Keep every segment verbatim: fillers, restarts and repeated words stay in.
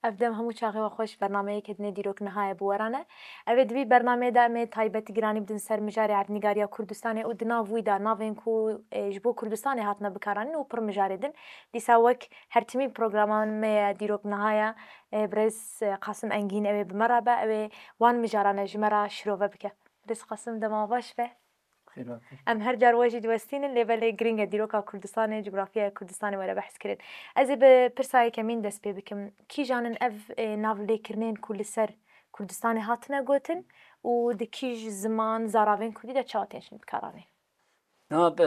Ev dem hemû çaxê we xweş, bernameyeke dinê Dîrok Niha ye bi we re ne. Ev ê di vî bernameyê de em ê taybetî giranî bidin ser mijarê erdnîgariya Kurdistanê û di nav wî de navên ku, e, ji bo Kurdistanê hatine bikaranîn û pir mijarê din. Dîsa wek her timî programan me ye Dîrok Niha ye, e, birêz, e, Qasim Engîn ew ê bi me re be, ew ê wan mijaran e ji me re şirove bike. Birêz Qasim, dema baş be. Xêr hatî. Em her car we jî diwestînin, lê belê giring e dîroka Kurdistanê, cografyaya Kurdistanê were behs kirin. Ez ê bi pirsa yekemîn dest pê bikim. Kîjan in ev, e, navlêkirinên ku li ser Kurdistanê hatine gotin û di kîj ziman, zaravên kurdî de çawa tên şin bikaranîn? Na, bi,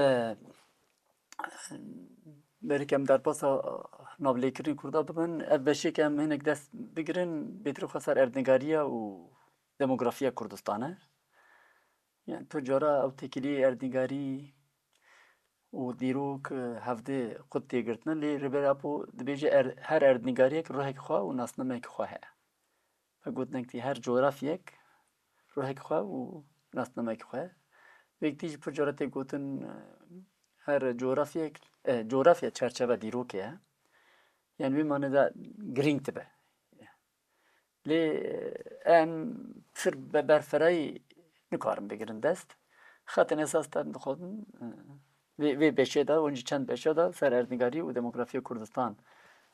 berî ke em derbasa navlêkirinên Kurda bibin, ev beşê ke em hinek dest bigirin, bêtir xwe ser erdnîgariya û demografiya Kurdistan e. Yani pir cara ew têkiliyê erdnîgarî û dîrok, e, hevdê xwe tê girtine, lê Rêber Apo dibêje er-, her erdnîgariyek ruhek xwe û nasnamek xwe heye. Ve gotinek tê her coğrafyek ruhek xwe û nasnamek xwe. Vêk tî jî pir cara tê gotin, e, her coğrafyek, e, coğrafya çerçeve dîrokê ye. Yani wê mane de girîng dibe. Lê, e, em pir be berferayî nikarin bigirin dest. Xetên esas te dixwazin, e, vê, vê beşê de, hûn jî çend beşe de ser erdnîgarî û demografiya Kurdistan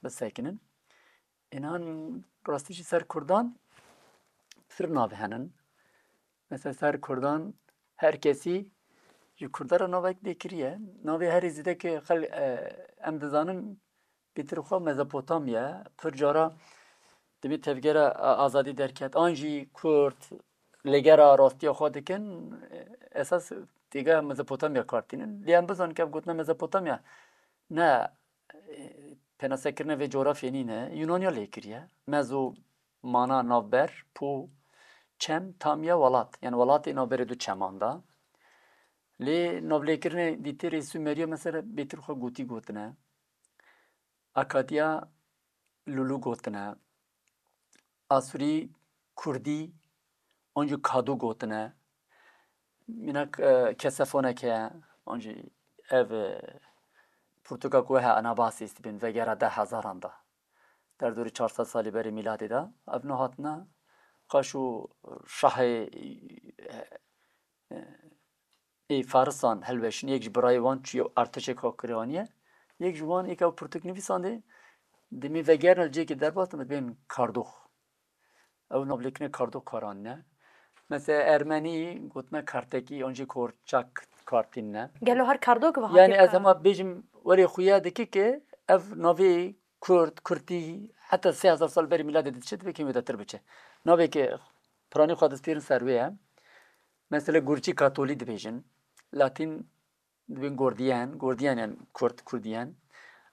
bisekinin. Înan rastî jî ser Kurdan pir navê henin. Mesela ser Kurdan her kesî ji Kurda re navek dê kiriye. Navê herî zêde ke xel-, e, em dizanin bêtir xwe Mezopotamya, pir cara demê tevgera, e, azadî derket, an jî Kurd li gera rastiya xwe dikin, e, esas têgeha Mezopotamya kar tînin. Lê em bizanin ke ev gotina Mezopotamya ne, e, pênasekirina vê coğrafyê nîne, Yunaniya lê kiriye. Mezo mana navber, po, çem, tamya welat. Yani welatê navberê du çeman de. Lê navlêkirinê dîtirê Sumeriya mesela bêtir xwe gotî gotine. Akadiya lulu gotine. Asûrî, Kurdî, an jî Kadu gotine. Mînak, e, Kesefonek heye, an jî ev, e, pirtûka ku we he Anabasîs dibên vegera deh hezaran de. Derdorî çar sed salî berî mîladê de. Ev niha hatine qaşo şahê, e, e, ê Farisan hilweşin, yek ji birayê wan çûye artêşek xwe kiriye aniye. Yek ji wan êka pirtûk nivîsandê, demê vegerine li cihekê derbas dibên Kardox. Ew navlêkinê Kardox kar anîne. Mesela Ermenî gotine Kartekî, an jî Korçak kar tînine. Gelo her Kardox ve Yani hatî ez kar? Hema bêjim werê xuya dike ke ev navê Kurd, Kurtî heta sê hezar sal berî mîladê diçe, divê kêm wêdetir biçe. Navê ke piranî xwe destpêrin ser wê ye. Mesela Gurçî Katolî dibêjin. Latîn dibên Gordiyen, Gordiyen yani Kurd, Kurdiyen.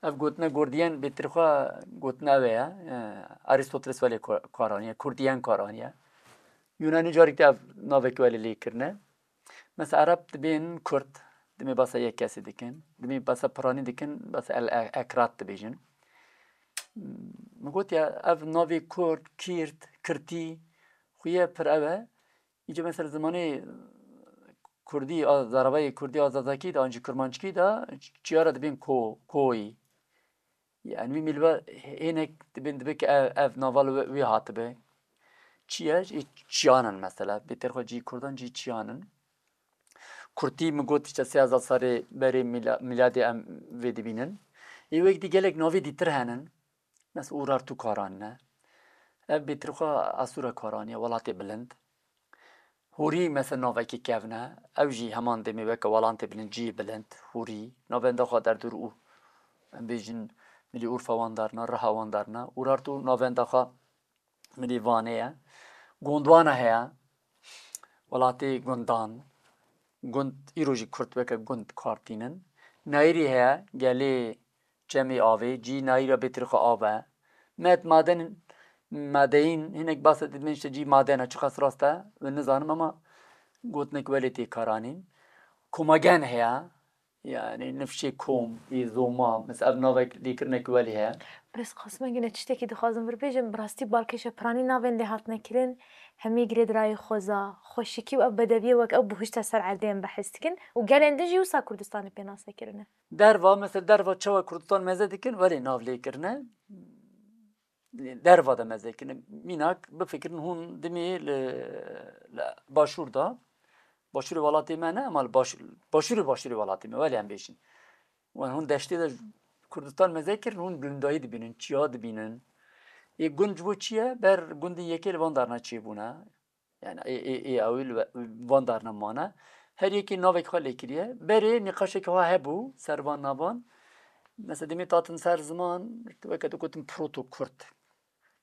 Ev gotine Gordiyen bêtir xwe gotine ew e, e, Aristoteles welê ko-, kar aniye, Kurdiyen kar aniye. Yunanî carîk de ev navek welê lê kirine. Mesela Ereb dibên Kurd, dimê basa yek kesê dikin, dimê basa piranî dikin, basa El E-, Ekrat dibêjin. Min got ya ev navê Kurd, Kîrt, Kirtî, xuye pir ew e. Îca mesela zimanê Kurdî, a, zaravayê Kurdî a Zazakî de, an jî Kurmanckî de çiyara dibên ko, koyî. Yani wî mîlve hênek dibên dibe ki ev, ev nava li wî hatibe. Çi ye? Ê çiyan in mesela. Bêtir xwe cî Kurdan cî çiyan in. Kurtî min got işte sê hezar serê berê mîla-, mîladê em vê dibînin. Ê wek dî gelek navê dîtir henin. Mesela Urartu kar anîne. Ev bêtir xwe Asûra kar aniye, welatê bilind. Hûrî mesela navekî kevn e. Ew jî heman demê weke welatê bilind, cî bilind, Hûrî. Navenda xwe derdor û em bêjin milî Urfa wan darna, Riha wan darna. Urartu navenda xwe milî Vanê ye. Gondwana heye. Welatê gundan. Gund, îro jî Kurd weke gund kar tînin. Nayîrî heye, gelê Çemê avê, cî nayîra bêtir xwe av e. Met maden, madeyîn, hinek basa dibên işte cî maden e, çiqas rast e, wê nizanim ama gotinek welê tê karanîn. Komagen heye, yani nifşê kom, ê zoma, mesela ev navek lêkirinek welê heye. Birêz Qasim Engîn, ez tiştekî dixwazim vir bêjim, bi rastî balkêşe piranî navên lê hatine kirin, hemî girêdirayî xweza, xweşikî û ev bedewiyê wek ew bihuşte ser erdê em behs dikin û gelên din jî wisa Kurdistanê pênase kirine. Derva, mesela derva çawa Kurdistan meze dikin, welê nav lê kirine. derva de meze kirine. Mînak bifikirin hûn dimî li, li başûr de, başûrê welatê me ne, ama li baş-, başûrê başûrê welatê me, welê em bêjin. Wan hûn deştê de Kurdistan meze kirin, hûn bilindayî dibînin, çiya dibînin. Ê gund ji bo çi ye? Ber gundên yekê li van darna çêbûne. Yani ê, ê, ê ewil ve van darna mane. Her yekê navek xwe lê kiriye. Berê nîqaşek xwe hebû ser van navan. Mesela demê tatin ser ziman, weke tu gotin proto-Kurd.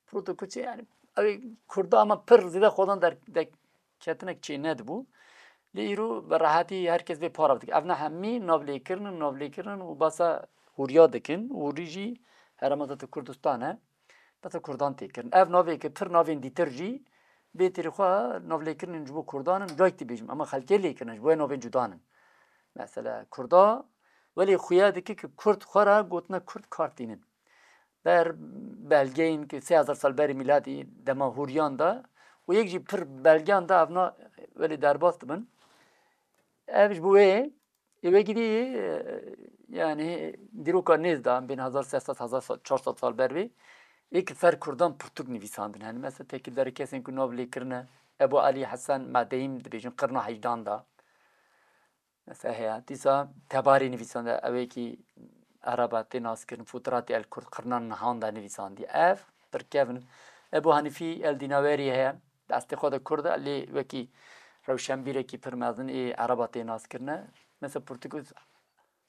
Proto-Kurd çi yani? Ew ê Kurda ama pir zêde xwedan der-, derketinek çê nedibû. Lê îro bi rehetî her kes vê para dike. Ev ne hemî navlêkirin, navlêkirin û basa hûriya dikin. Hûrî jî herêma Kurdistan e. Basa Kurdan tê kirin. Ev navê ke pir navên dîtir jî bê têrê xwe navlêkirinên ji bo Kurdan in, cayek dibêjim. Ama xelkê lê kirine, ji bo navên cudan in. Mesela Kurda, welê xuya dike ke Kurd xwe re gotina Kurd kar tînin. Ber belgeyên ku sê hezar sal berî mîladî dema hûriyan de û yek jî pir belgeyan de evna welê derbas dibin. Ev ji bo wê ê wekî dî, e, yani dîroka nêz de bên hezar sê sed, hezar çar sed sal ber vê ê ki ser Kurdan pirtûk nivîsandin. Hani mesela tekildarê kesên ku nav lê kirine Ebu Alî Hesen Medeyim dibêjin qirna heydan de. Mesela heye. Dîsa tebarî nivîsande, ew ê kî Ereba tê naskirin, Futuratê el Kurd, qirnan nihan de nivîsandî. Ev pir kevin. Ebu Hanîfî el Dînawerî heye. Destê xwe de Kurd e, lê wekî rewşenbîrekî pir mezin ê Ereba tê naskirine. Mesela Portuguz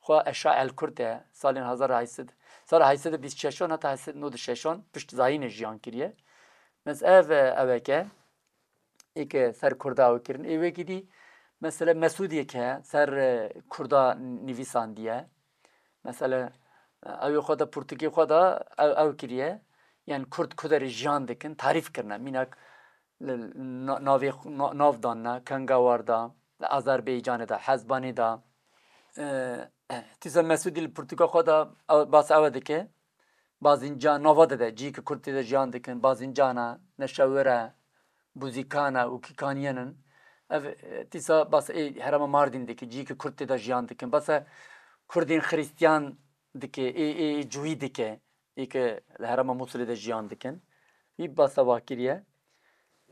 xwe Eşa el Kurd e. Salên hezar heyşsed, sala heyşsed bîst şeşan heta heyşsed nod şeşan pişt zayînê jiyan kiriye. Mesela ev, e, eweke ê ke ser Kurda ew kirin. Ê wekî dî, mesela Mesûdiyek heye, ser, e, Kurda nivîsandiye. Mesela, e, ew ê xwe de pirtûkê xwe de ew, ew kiriye. Yani Kurd ku derê jiyan dikin, tarîf kirine. Mînak li na-, navê xwe, na-, nav danine, Kengawarda, li Azerbaycanê de, Hezbanê de. E, Tîsa Mesûdî li pirtûka xwe de ew, bas ew dike. Bazincan, nava de de, cihê ke Kurd tê de jiyan dikin, Bazincana, Neşewire, Buzîkana û Kîkaniyen in. Ev, e, dîsa bas ê herêma Mardîn dike, cihê ke Kurd tê de jiyan dikin. Basa Kurdên Xirîstiyan dike, ê, ê, ê Cuhî dike, ê ke li herêma Mûsilê de jiyan dikin. Wî basa wa kiriye.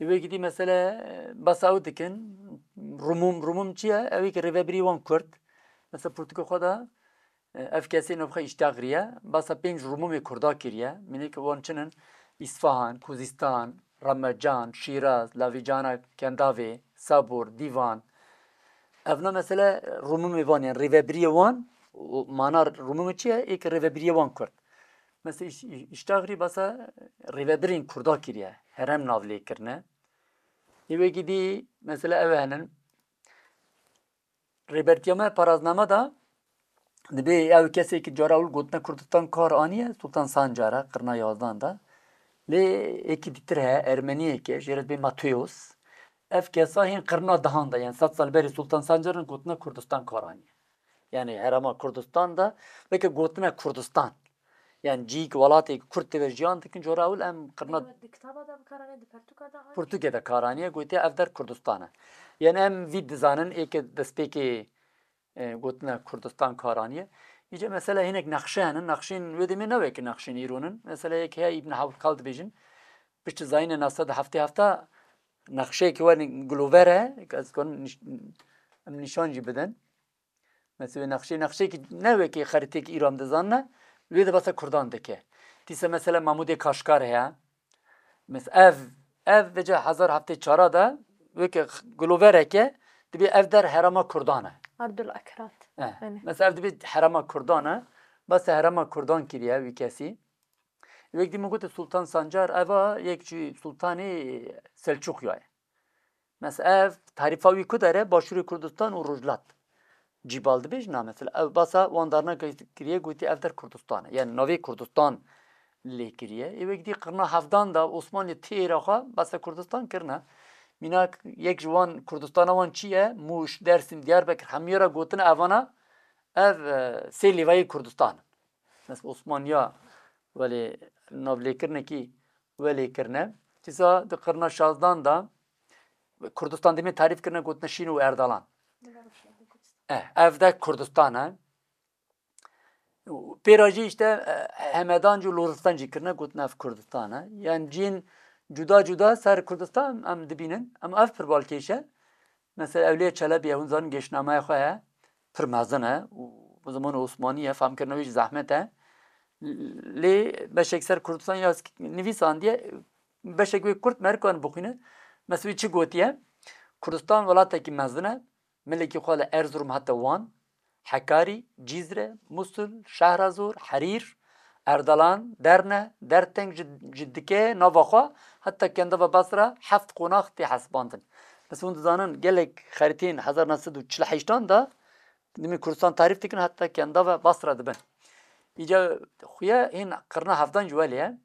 Ê wekî dî mesele, e, basa ew dikin, Rumûm, Rumûm çi ye? Ew ê ke rêvebirî wan Kurd. Mesela pirtûka xwe de Ev kesê navxwe Îştaxrî ye, basa pênc Rumûmê Kurda kiriye. Mînê ke wan çin in, Îsfahan, Kuzîstan, Remecan, Şîraz, Lavîcana, Kendavê, Sabûr, Dîvan. Evna mesele Rumûmê van, yani rêvebiriyê wan, û mana Rumûmê çi ye? Ê ke rêvebiriyê wan Kurd. Mesela Îş-, Îş-, Îştaxrî basa rêvebirên Kurda kiriye, herêm nav lê kirine. Ê wekî dî, mesela ew henin, Rêbertiya me parazname de dibê ew kesê ki cara ewil gotine Kurdistan kar aniye, Sultan Sancar e, qirna yazdan de. Lê êkî dîtir heye, Ermeniyek e, jê re dibê Mateos. Ev kesa hên qirna dehan de, yani sed sal berê Sultan Sancar in gotine Kurdistan kar aniye. Yani herêma Kurdistan de, weke gotine Kurdistan. Yani cihî ku welatê Kurd tê de jiyan dikin, cara ewil em qirna Di kitaba de bi kar anî, di pertûka de anî. Pirtûkê de kar aniye, gotiye ev der Kurdistan e. Yani em vî dizanin ê ke destpêkê, e, gotina Kurdistan kar aniye. Îca mesela hinek nexşe henin, nexşên wê demê ne weke nexşên îro nin. Mesela yek heye Îbn Hewqal dibêjin, piştî zayînê neh sed û heftê heft nexşeyekî were gilover e, ez dikarim niş-, em nîşan jî bidin. Mesela nexşe, nexşeyekî ne wekî xerîteyekî îro em dizanine, wê de basa Kurdan dike. Dîsa mesela Mamûdê Kaşkar heye. Mes-, ev, ev vêca hezar heftê çara de wekî x-, gilovereke dibê ev der herêma Kurdan e. Abdul Akrat. Eh, Hani. Mesela ev dibê herêma Kurdan e. Basa herêma Kurdan kiriye wî kesî. Wek dî min gote Sultan Sancar, eva yek jî sultanê Selçuqya ye. Mes ev tarîfa wî ku der e, Başûrê Kurdistan û Rojhilat. Cî bal dibêjin na mesela. Ev basa wan darna kiriye, gotî ev der Kurdistan e. Yani navê Kurdistan lê kiriye. Ê wek dî qirna hevdan de Osmanlî têra xwe basa Kurdistan kirine. Mînak yek ji wan Kurdistana wan çi ye? Mûş, Dersim, Diyarbekir, hemû ra gotine evana ev, e, sê lêvayê Kurdistan in. Mesela Osmaniya welê navlêkirinekî welê kirine. Tîsa di qirna şazdan de Kurdistan demê tarîf kirine, gotine Şîn û Erdalan. Eh, ev de Kurdistan e. Pêra jî işte, e, Hemedan jî û Loristan jî kirine, gotin ev Kurdistan e. Yani cihên cuda cuda ser Kurdistan em dibînin. Em ev pir balkêş e. Mesela Ewliya Çelebi ye, hûn zanin geşnameya xwe heye. Pir mezin e û bi zimanê Osmanî ye, famkirina wî jî zehmet e. Lê beşek ser Kurdistan ya nivîsandiye, beşek wê kurt me karin bixwîne. Mesela wî çi gotiye? Kurdistan welatekî mezin e. Milekî xwe li Erzurum heta Wan, Hekarî, Cîzre, Musul, Şehrazor, Herîr, Erdalan, Derne, Derteng ji, ji dike nava xwe heta Kendava Basra heft qonax tê hesibandin. Mesela hûn dizanin gelek xerîteyên hezar neh sed û çil û heştan de dimê Kurdistan tarîf dikin heta Kendava Basra dibin. Îca xuya hîn qirna hevdan ji welê ye.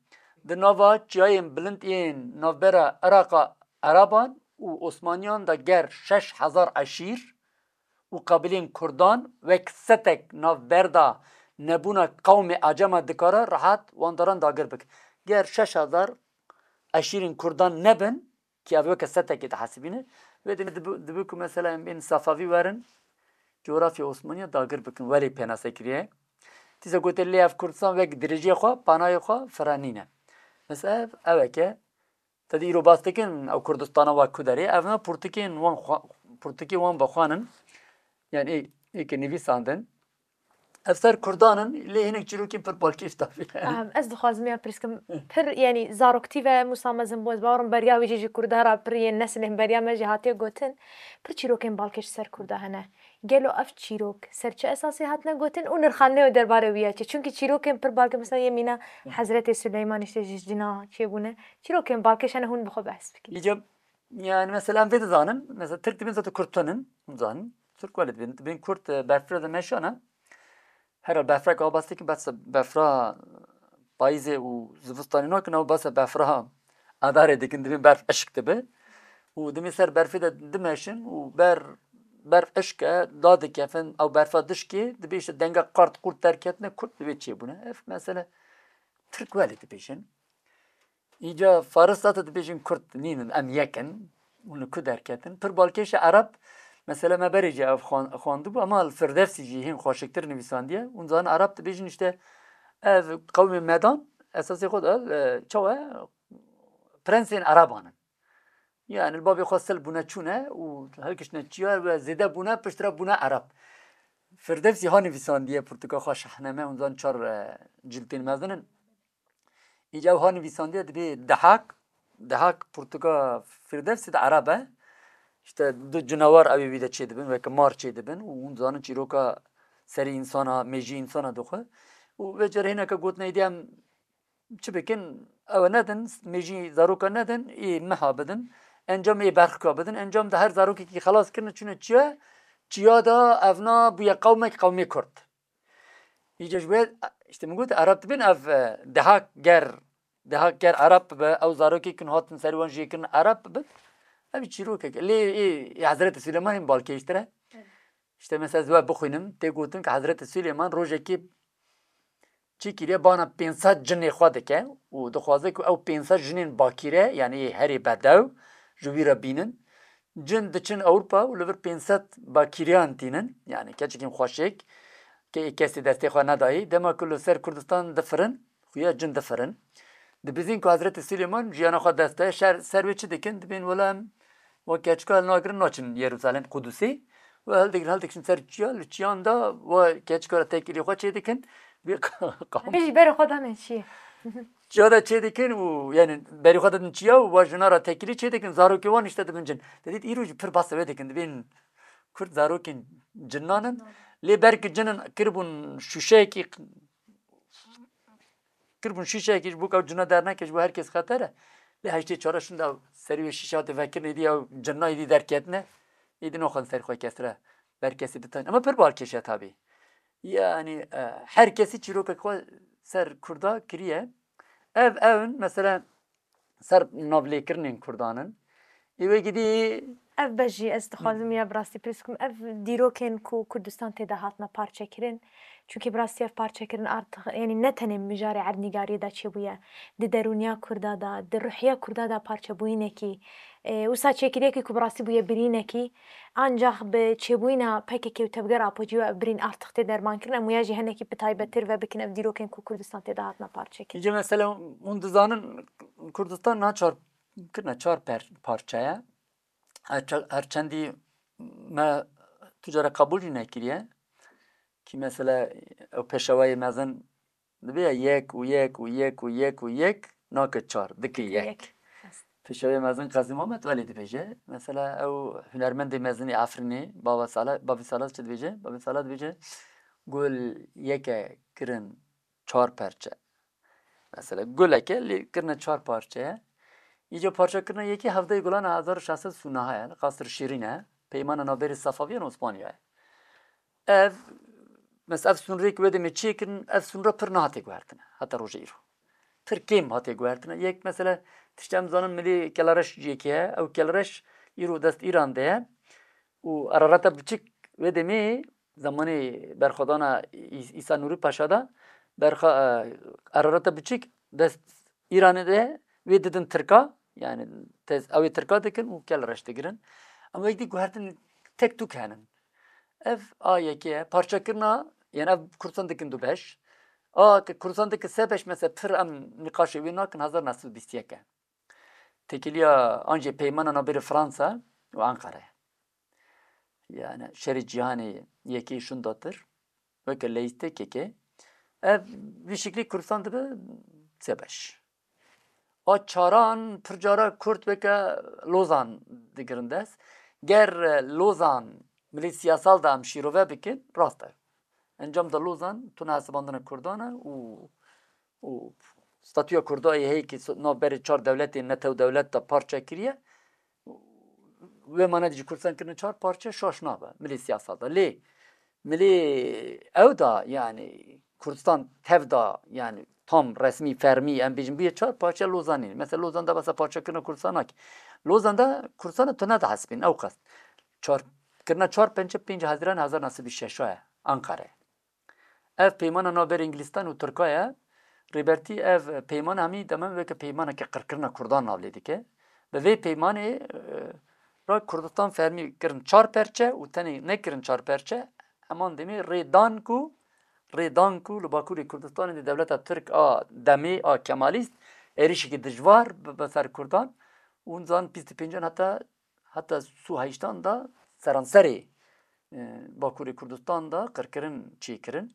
Di nava çiyayên bilind yên navbera Iraqa Eraban û Osmaniyan de ger şeş hezar eşîr û qabilên Kurdan wek setek navberda nebûna qewmê Acema dikare rehet wan daran dagir bike. Ger şeş hezar eşîrên Kurdan nebin, ki ev weke setekê dihesibîne, wê demê dibi, dibi ku mesela em bên Sefavî werin, coğrafya Osmaniya dagir bikin, welê pênase kiriye. Tîza gote lê ev Kurdistan wek dirêjiyê xwe, panayê xwe fira nîne. Mesela ev, ev eke, te dî îro bas dikin, ew Kurdistana wa ku derê, ev ne pirtûkên wan xwe, pirtûkê wan vexwanin, yani ê, ê ke nivîsandin. Ev ser Kurdan in, lê hinek çîrokên pir balkêş dabî. Em, ez dixwazim ya pirskim, pir, yani, zaroktî ve Musa mezin bû, ez bawerim beriya wî jî ji Kurda re pir yên nesilên beriya me jî hatiye gotin. Pir çîrokên balkêş ser Kurda hene. Gelo ev çîrok ser çi esasê hatine gotin û nirxandinê wê derbarê wî ya çi? Çunkî çîrokên pir balkêş, mesela yê mîna Hezretê Suleyman işte ji cina çêbûne. Çîrokên balkêş hene hûn bi xwe behs bikî. Îca, yani, mesela em vê dizanin, mesela Tirk dibên zaten Kurd tunin, hûn zanin. Tirk welê dibên, dibên Kurd, e, berfirê de meşana. Her berfrek ew bas dikin, bes befra payîzê û zivistanê nakin, ew bes befra adarê dikin, dibên berf eşk dibe. Û dimê ser berfê de dimeşin û ber, berf eşk e, dadikefin, ew berfa dişkê, dibê işte denga qart qurt derketine, Kurd dibê çêbûne. Ev mesele Tirk welê dibêjin. Îca Faris zaten dibêjin Kurd nînin, em yek in. Hûn li ku derketin? Pir balkêş e Ereb. Mesela me berê jî ev xwan-, xwendibû, ema li Firdevsî jî hîn xweşiktir nivîsandiye. Hûn zanin Ereb dibêjin işte ev qewmê Medan, esasê xwe de, e, çawa, prensên Ereban in. Yani li bavê xwe sil bûne çûne û hilkiştine çiyar ve zêde bûne, piştre bûne Ereb. Firdevsî ha nivîsandiye pirtûka xwe Şahname, hûn zanin çar, e, ciltên mezin in. Îca ew ha nivîsandiye dibê Dehak, Dehak pirtûka Firdevsî de Ereb e. İşte du cinawar ew ê wî de çêdibin, weke mar çêdibin û hûn zanin çîroka serê însana, mêjî însana dixwe. Û vê carê hineke gotin êdî em çi bikin, ew nedin, mêjî zaroka nedin, ê meha bidin, encam ê berxika bidin, encam de her zarokekî xelas kirine çûne çiya, çiya da evna bûye qewmek, qewmê Kurd. Îca ji wê, işte min got, Ereb dibên ev, e, Dehak ger, Dehak ger Ereb bibe, ew zarokê kin hatin ser wan jê kirin Ereb bibin. Ev çîrokek. Lê ê, ê Hezretê Süleyman hîn balkêştir e. Evet. İşte mesela ez we bixwînim, tê gotin ki Hezretê Süleyman rojekê çi kiriye, bana pênc sed cinê xwe dike û dixwaze ku ew pênc sed jinên bakîre, yani ê herê bedew, ji wî re bînin. Cin diçin Ewropa û li vir pênc sed bakîriyan tînin, yani keçikên xweşik, ke-, kesê destê xwe nedayî. Dema ku li ser Kurdistan difirin, xuya cin difirin. Dibizin ku Hezretî Silêman jiyana xwe dest daye, şer, ser wê çi dikin? Dibên wela em wek keçika hilnagirin naçin Yerûsalem, Qudusê. Û hildigirin, hildigirin ser çiya, li çiyan de we keçika re têkilî xwe çêdikin. Bê qa-, qam- Em jî berê xwe dane çiyê. Çiya de çêdikin û, yani, berê xwe didin çiya û we jina re têkilî çêdikin, zarokê wan işte dibin cin. Te dît îro jî pir behsa wê dikin, dibên Kurd zarokên cinan in. Lê ber ku cin in kiribûn şûşeyekî, kiribûn şûşeyekî ji bo ku ew cina derneke, ji bo her kes xeter e. Lê heştê çar şûnda serî wê şîşe hate vekirin, êdî ew cina êdî derketine, êdî naxwazin serî xwe kes re ber kesî bitanîn. Ema pir balkêş e tabî. Yani, e, her kesî çîrokek xwe ser Kurda kiriye. Ev, ew in, mesela, ser navlêkirinên Kurdan in. Ê wekî dî Ev beş jî ez dixwazim ya bi rastî pirs bikim. Ev dîrokên ku Kurdistan tê de hatine parçekirin. Çunkî bi rastî ev parçekirin artık, yanî ne tenê mijarê erdnîgariyê de çêbûye. Di derûniya Kurda de, di ruhiya Kurda de parçebûyînekî, e, wisa çêkiriyekî ku bi rastî bûye birînekî, ancax bi çêbûyîna P K K û tevgera Apocî ve ev birîn artık tê dermankirin. Em wiya jî hinekî bi taybettir ve bikin ev dîrokên ku Kurdistan tê de hatine parçekirin. Îca mesele hûn dizanin Kurdistan niha çar kirine çar per-, parçe ye. Her ça-, her çendî me tu cara qebûl jî nekiriye. Kî mesela ew pêşewayê mezin dibe ya yek û yek û yek û yek û yek nake çar, dike yek. Yek. Pêşewayê mezin Qazî Muhammed welê dibêje. Mesela ew hunermendê mezin ê Efrînê, Bava Sala, Bavî Sala çi dibêje? Bavî Sala dibêje, gul yeke kirin çar perçe. Mesela guleke lê kirine çar parçeye. Îca parçekirina yekê hevdeyê Gulana hezar û şeş sed sûnaha ye, li Qasr Şîrîn e. Peymana navberê Sefaviyan Osmaniya ye. Ev, mesela ev sûnrêk wê demê çêkirin, ev sûnra pir nehatiye guhertine heta roja îro. Pir kêm hatiye guhertine. Yek mesela tiştê em zanin milê Kelereş yekê ye. Ew Kelereş îro dest Îran de ye. Û Ararata Biçik wê demê zemanê berxwedana Î-, Îsa Nûrî Paşa de berxa-, e, Ararata Biçik dest Îranê de wê didin Tirka, yani tez ew ê Tirka dikin û Kelereş digirin. Em wek dî guhertin tek tûk henin. Ev a yekê ye. Parçekirina, yani ev Kurdistan dikin du beş. A ke Kurdistan dikin se beş, mesela pir em nîqaşê wê nakin, hezar neh sed û bîst yek e. Têkiliya an jî peymana navbêrê Fransa û Anqara ye. Yani şerê cîhanê yekê şûndatir, weke leyîstê kekê. Ev vî şiklî Kurdistan dibe se beş. A çaran pir cara Kurd weke Lozan digirin dest. Ger Lozan milî siyasal de em şîrove bikin, rast e. Encam de Lozan tune hesibandina Kurdan e û û statûya Kurda yê heye ki so-, navberê çar dewletên netew dewlet de parçe kiriye. Wê mane de jî Kurdistan kirine çar parçe şaş nabe milê siyasal de. Lê milê ew da, yani Kurdistan tev da, yani tam resmî, fermî, em bêjin bûye çar parçe, Lozan nîne. Mesela Lozan de besa parçekirina Kurdistan nake. Lozan de Kurdistan tune dihesibîn, ew qas. Çar, kirina çar pençe pênc Hezîran hezar neh sed û şeşa ye, Anqara ye. Ev peymana navberê Îngilîstan û Tirka ye. Rêbertî ev peyman hemî demen weke peymaneke qirkirina Kurdan nav lê dike. Bi vê peymanê, e, re Kurdistan fermî kirin çar perçe û tenê nekirin çar perçe, heman demê rêdan ku, rêdan ku li Bakurê Kurdistanê de dewleta Tirk a demê a Kemalîst êrişekî dijwar bibe ser Kurdan û hûn zanin bîst û pêncan heta heta sî û heştan de seranserê, e, Bakurê Kurdistan de qirkirin çêkirin.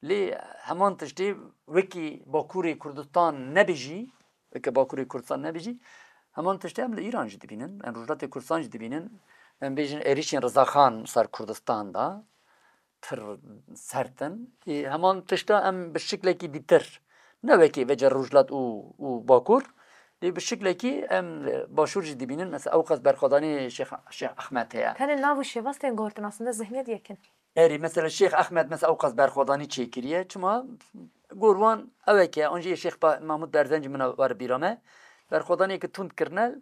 Lê heman tiştê wekî Bakurê Kurdistan nebijî, weke Bakurê Kurdistan nebijî, heman tiştê em li Îran jî dibînin, em Rojhilatê Kurdistan jî dibînin, em bêjin êrişên Rizaxan ser Kurdistan de pir sert in. Ê, heman tişta em bi şiklekî dîtir, ne wekî vece Rojhilat û, û Bakur, lê bi şiklekî em li Başûr jî dibînin. Mesela ewqas berxwedanî Şêx, Şêx Ehmed heye. Tenê nav û şêwaz tên gotin, aslında zihniyet yek in. Erê, mesela Şêx Ehmed mesela ewqas berxwedanî çêkiriye. Çima? Gor wan ewek e, an jî Şêx Pa-, Mahmud Berzenc min were bîra me. Berxwedaniyeke tund kirine,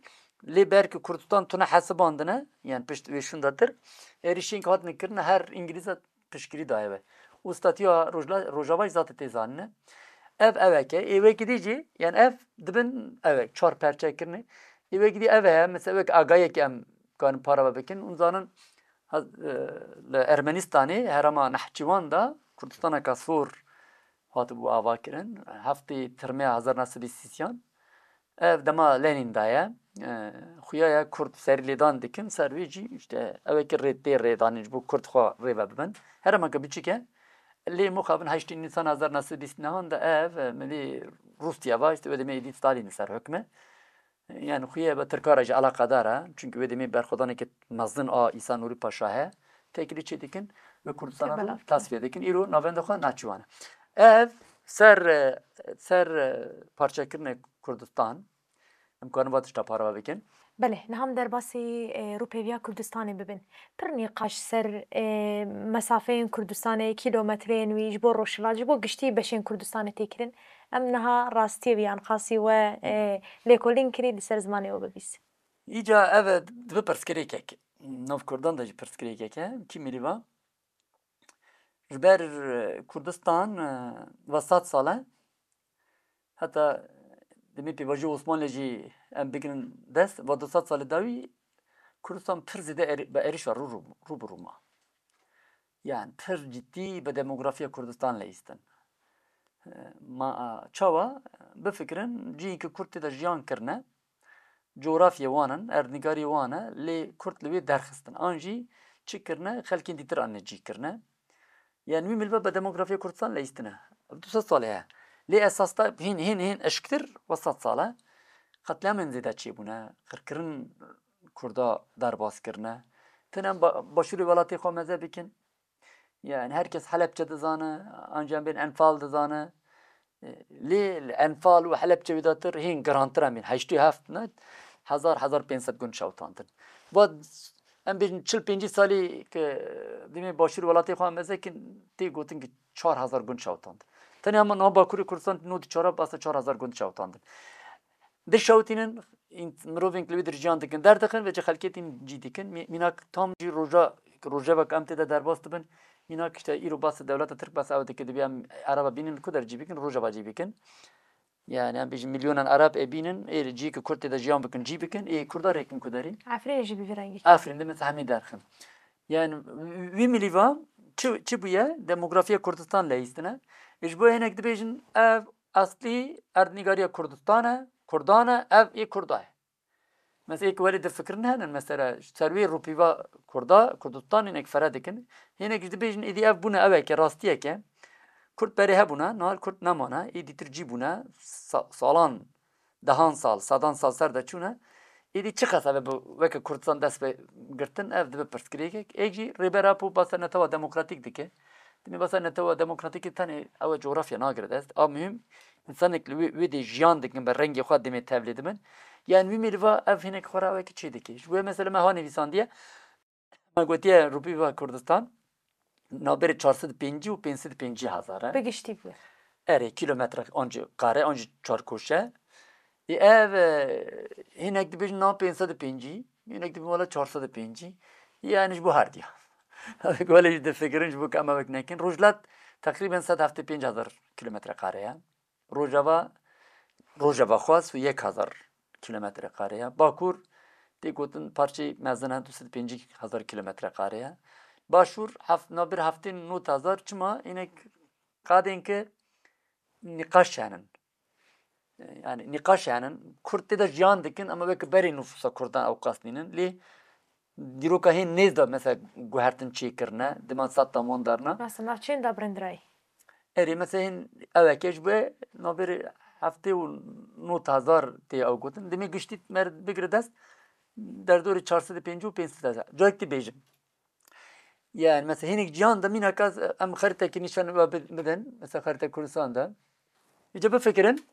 lê ber ku Kurdistan tune hesibandine, yani pişt wê şûnda tir, êrişên ku hatine kirine her Îngilîza piştgirî daye we. Û statiya Rojla-, Rojava jî zate tê zanine. Ev ewek e. Ê wekî dî jî, yani ev dibin ewek, çar perçe kirine. Ê wekî dî ev heye, mesela wek agayek em karin para ve bikin. Hûn zanin, ha-, e, li Ermenistanê, herêma Nehçîwan de Kurdistaneke sor hatibû ava kirin. Heftê Tirmê hezar neh sed û sîsyan. Ev dema Lenîn de ye. E, xuya ye Kurd serî lêdan dikin, ser wê jî işte ew ê ki rê tê rêdanîn ji bo Kurd xwe rê ve bibin. Herêmeke biçûk e. Lê mixabin heştê Nîsan hezar neh sed û bîst nehan de ev, e, milî Rûsya va, işte wê demê êdî Stalîn li ser hukm e. Yani xuya be Tirka re jî eleqedar e. Çünkü wê demê berxwedaneke mezin a Îsa Nûrî Paşa heye. Têkilî çê dikin ve Kurdistana Kebela. Rû tasfiye dikin. Îro navenda xwe Nehçîwan e. Ev ser, e, ser, e, parçekirinê Kurdistan, em karin va tişta parve bikin. Belê, niha em derbasî, e, rûpêviya Kurdistanê bibin. Pir nîqaş ser, e, mesafeyên Kurdistanê, kîlometreyên wî ji bo Rojhilat, ji bo giştî beşên Kurdistanê tê kirin. Em niha rastiyê wî anqasî we, e, lêkolîn kirî, li ser zimanê we bibîs. Îca ev e, dibe pirsgirêkek. Nav Kurdan de jî pirsgirêkek e. Kî mirî va? Ji ber, e, Kurdistan, e, va sed sal e. Heta demê pêvajoya Osmanlê jî em bigirin dest, va du sed salê dawî Kurdistan pir zêde êr-, bi êrişa rû, rû, rû bi rû ma. Yani pir cidî bi demografiya Kurdistan leyîstin. E, ma, çawa? Bifikirin, cihê ku Kurd tê de jiyan kirine, coğrafyê wan in, erdnîgariyê wan e, lê Kurd li wê derxistin. An jî çi kirine, xelkên dîtir anîne cî kirine. Yani wî milve bi demografiya Kurdistan leyîstine. Ev du sed salê heye. Lê esas da hîn, hîn, hîn eşktir ve sed sal e. Qetlîamên zêde çêbûne, qirkirin Kurda derbas kirine. Tene em ba-, başûrê welatê xwe meze bikin. Yani herkes Helepçe dizane, anca em bên Enfal dizane. E, lê li Enfal û Helepçe wê datir hîn girantir em bên. Heştê heft ne, hezar, hezar pênc sed gund şewitandin. Va em bêjin çil pêncî salî ke demê başûr welatê xwe em mezekin, tê gotin ki çar hezar gund şewitandin. Tenê hema niha Bakurê Kurdistan nod çar basa çar hezar gund şewitandin. Dişewitînin, în-, mirovên ku li wê dir jiyan dikin, derdixin, vêca xelkê tîn cî dikin. Mî-, mînak tam jî roja, rojevek em tê de derbas dibin. Mînak işte îro bas dewleta Tirk bas ew dike, dibe em Ereba bînin li ku der cî bikin, rojeva cî bikin. Yani em bêjin milyonan Ereb ê bînin, ê cî ku Kurd tê de jiyan bikin, cî bikin, ê Kurda rêkin ku derî. Efrîn jî bi vî rengî. Efrîn de mesela hemî derxin. Yani wî milîva çi, çi bûye? Demografiya Kurdistan leyîstine. Ji bo hinek dibêjin ev eslî erdnîgariya Kurdistan e, Kurdan e, ev ê Kurda ye. Mesela êk welê difikirin henin, mesela ser wê rûpîva Kurda, Kurdistan hinek fere dikin. Hinek jî dibêjin êdî ev bûne eweke, rastiyeke. Kurd berê hebûne, niha Kurd nemane, ê dîtir cî bûne, sa-, salan, dehan sal, sedan sal ser de çûne. Êdî çiqas ev e bi weke Kurdistan dest pê girtin, ev dibe pirsgirêkek. Êk jî Rêber Apo basa netewa demokratîk dike. Demê basa netewa demokratîkê tenê ew e coğrafya nagire dest. A muhîm, însanek li wê, wê dê jiyan dikin, bi rengê xwe demê tevlê dibin. Yani wî mêliva ev hinek xwe re ew e ki çê dike. Ji bo mesela me ha nivîsandiye, me gotiye Rûpîva Kurdistan, navberê çar sed û pêncî û pênc sed û pêncî hezar e. Bi giştî bû. Erê, kilometre an jî qare, an jî çarkoşe. Ê ev, e, hinek dibêjin nav pênc sed û pêncî, hinek dibêjin wela çar sed û pêncî. Yani ji bo her diya. Wele jî difikirin ji bo ku em ewek nekin. Rojhilat teqrîben sed heftê pênc hezar kilometre kare ye. Rojava, Rojava xwest û yek hezar kilometre kare ye. Bakur, tê gotin parçeyê mezin e, du sed û pêncî hezar kilometre kare ye. Başûr, heft-, navbir heftê nod hezar, çima? Hinek qadên ki nîqaş henin. Yani nîqaş henin. Kurd tê de jiyan dikin, ama weke berê nûfusa Kurdan ew qas nînin. Lê dîroka hên nêz de mesela guhertin çêkirine, dima sed tam wan darna. Mesela navçeyên de birîndirayî. Erê, mesela hên eweke ji bo navberê heftê û nod hezar tê ew gotin. Demê giştî mer bigire dest, derdorê çar sed û pêncî û pênc sed hezar. Carek dibêjim. Yani mesela hinek cihan de mînak ez, em xeritekî nîşan we bi-, bidin, mesela xerite Kurdistan de. Îca bifikirin,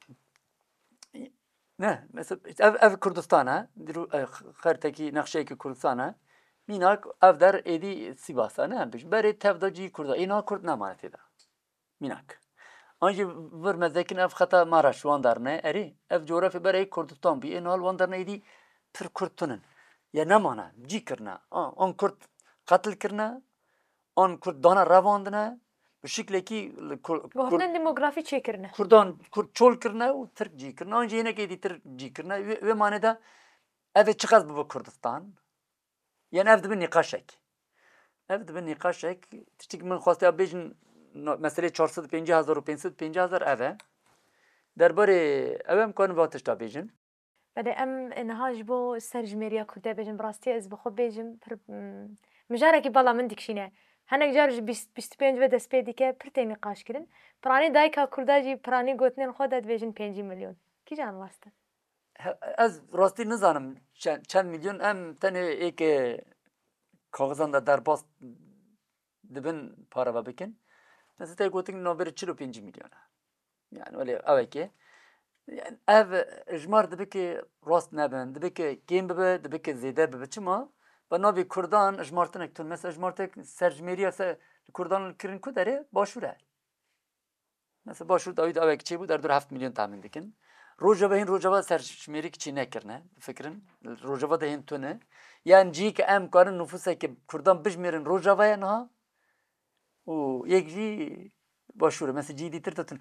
ne, mesela ev, ev Kurdistan e, dîro-, e, xeritekî nexşeyekî Kurdistan e. Mînak ev der êdî Sîvas e, ne em bêjin. Berê tev de cî Kurda, ê niha Kurd nemane tê de. Mînak. An jî vir mezekin ev xeta Maraş wan darne, erê, ev coğrafya berê Kurdistan bû, ê niha li wan darne êdî pir Kurd tunin. Ya nemane, cî kirine. An, an Kurd qetil kirine, an Kurd dane revandine, bi şiklekî li Kur-, Kurd Gohtin demografî çêkirine. Kurdan, Kurd çol kirine û Tirk cî kirine, an jî hinek êdî Tirk cî kirine. Wê, wê mane de ev ê çiqas bibe Kurdistan? Yani ev dibe nîqaşek. Ev dibe nîqaşek. Tiştekî min xwestiya bêjin, no-, meselê çar sed û pêncî hezar û pênc sed û pêncî hezar ev e. Derbarê ew em karin va tişta bêjin. Belê em niha ji bo serjimêriya Kurdê bêjin, bi rastî ez bi xwe bêjim, pir, mm, mijarekî bala min dikişîne. Hinek car ji bîst, bîst û pênc ve dest pê dike, pir tê nîqaş kirin. Piranî dayika Kurda jî piranî gotinên xwe de dibêjin pêncî milyon. Kîjan rast e? He, ez rastî nizanim çend, çend milyon, em tenê êke kaxizan de derbas dibin para ve bikin. Mesela te gotin navberê çil û pêncî milyon e. Yani öyle ew eke. Yani ev ijmar dibe ki rast nebin, dibe ki kêm bibe, dibe ki zêde bibe. Çima? Bi navê Kurdan ijmartinek tun. Mesela ijmartek serjimêriya se Kurdan kirin ku derê başûr e. Mesela başûr dawî de ewek çêbû, derdor heft milyon tahmin dikin. Rojava hîn Rojava serjimêrî çi nekirine, bifikirin. Rojava de hîn tune. Yan cî ki em karin nufuseke Kurdan bijmêrin Rojava ye niha. Û yek jî Başûr e. Mesela cî dîtir de tune.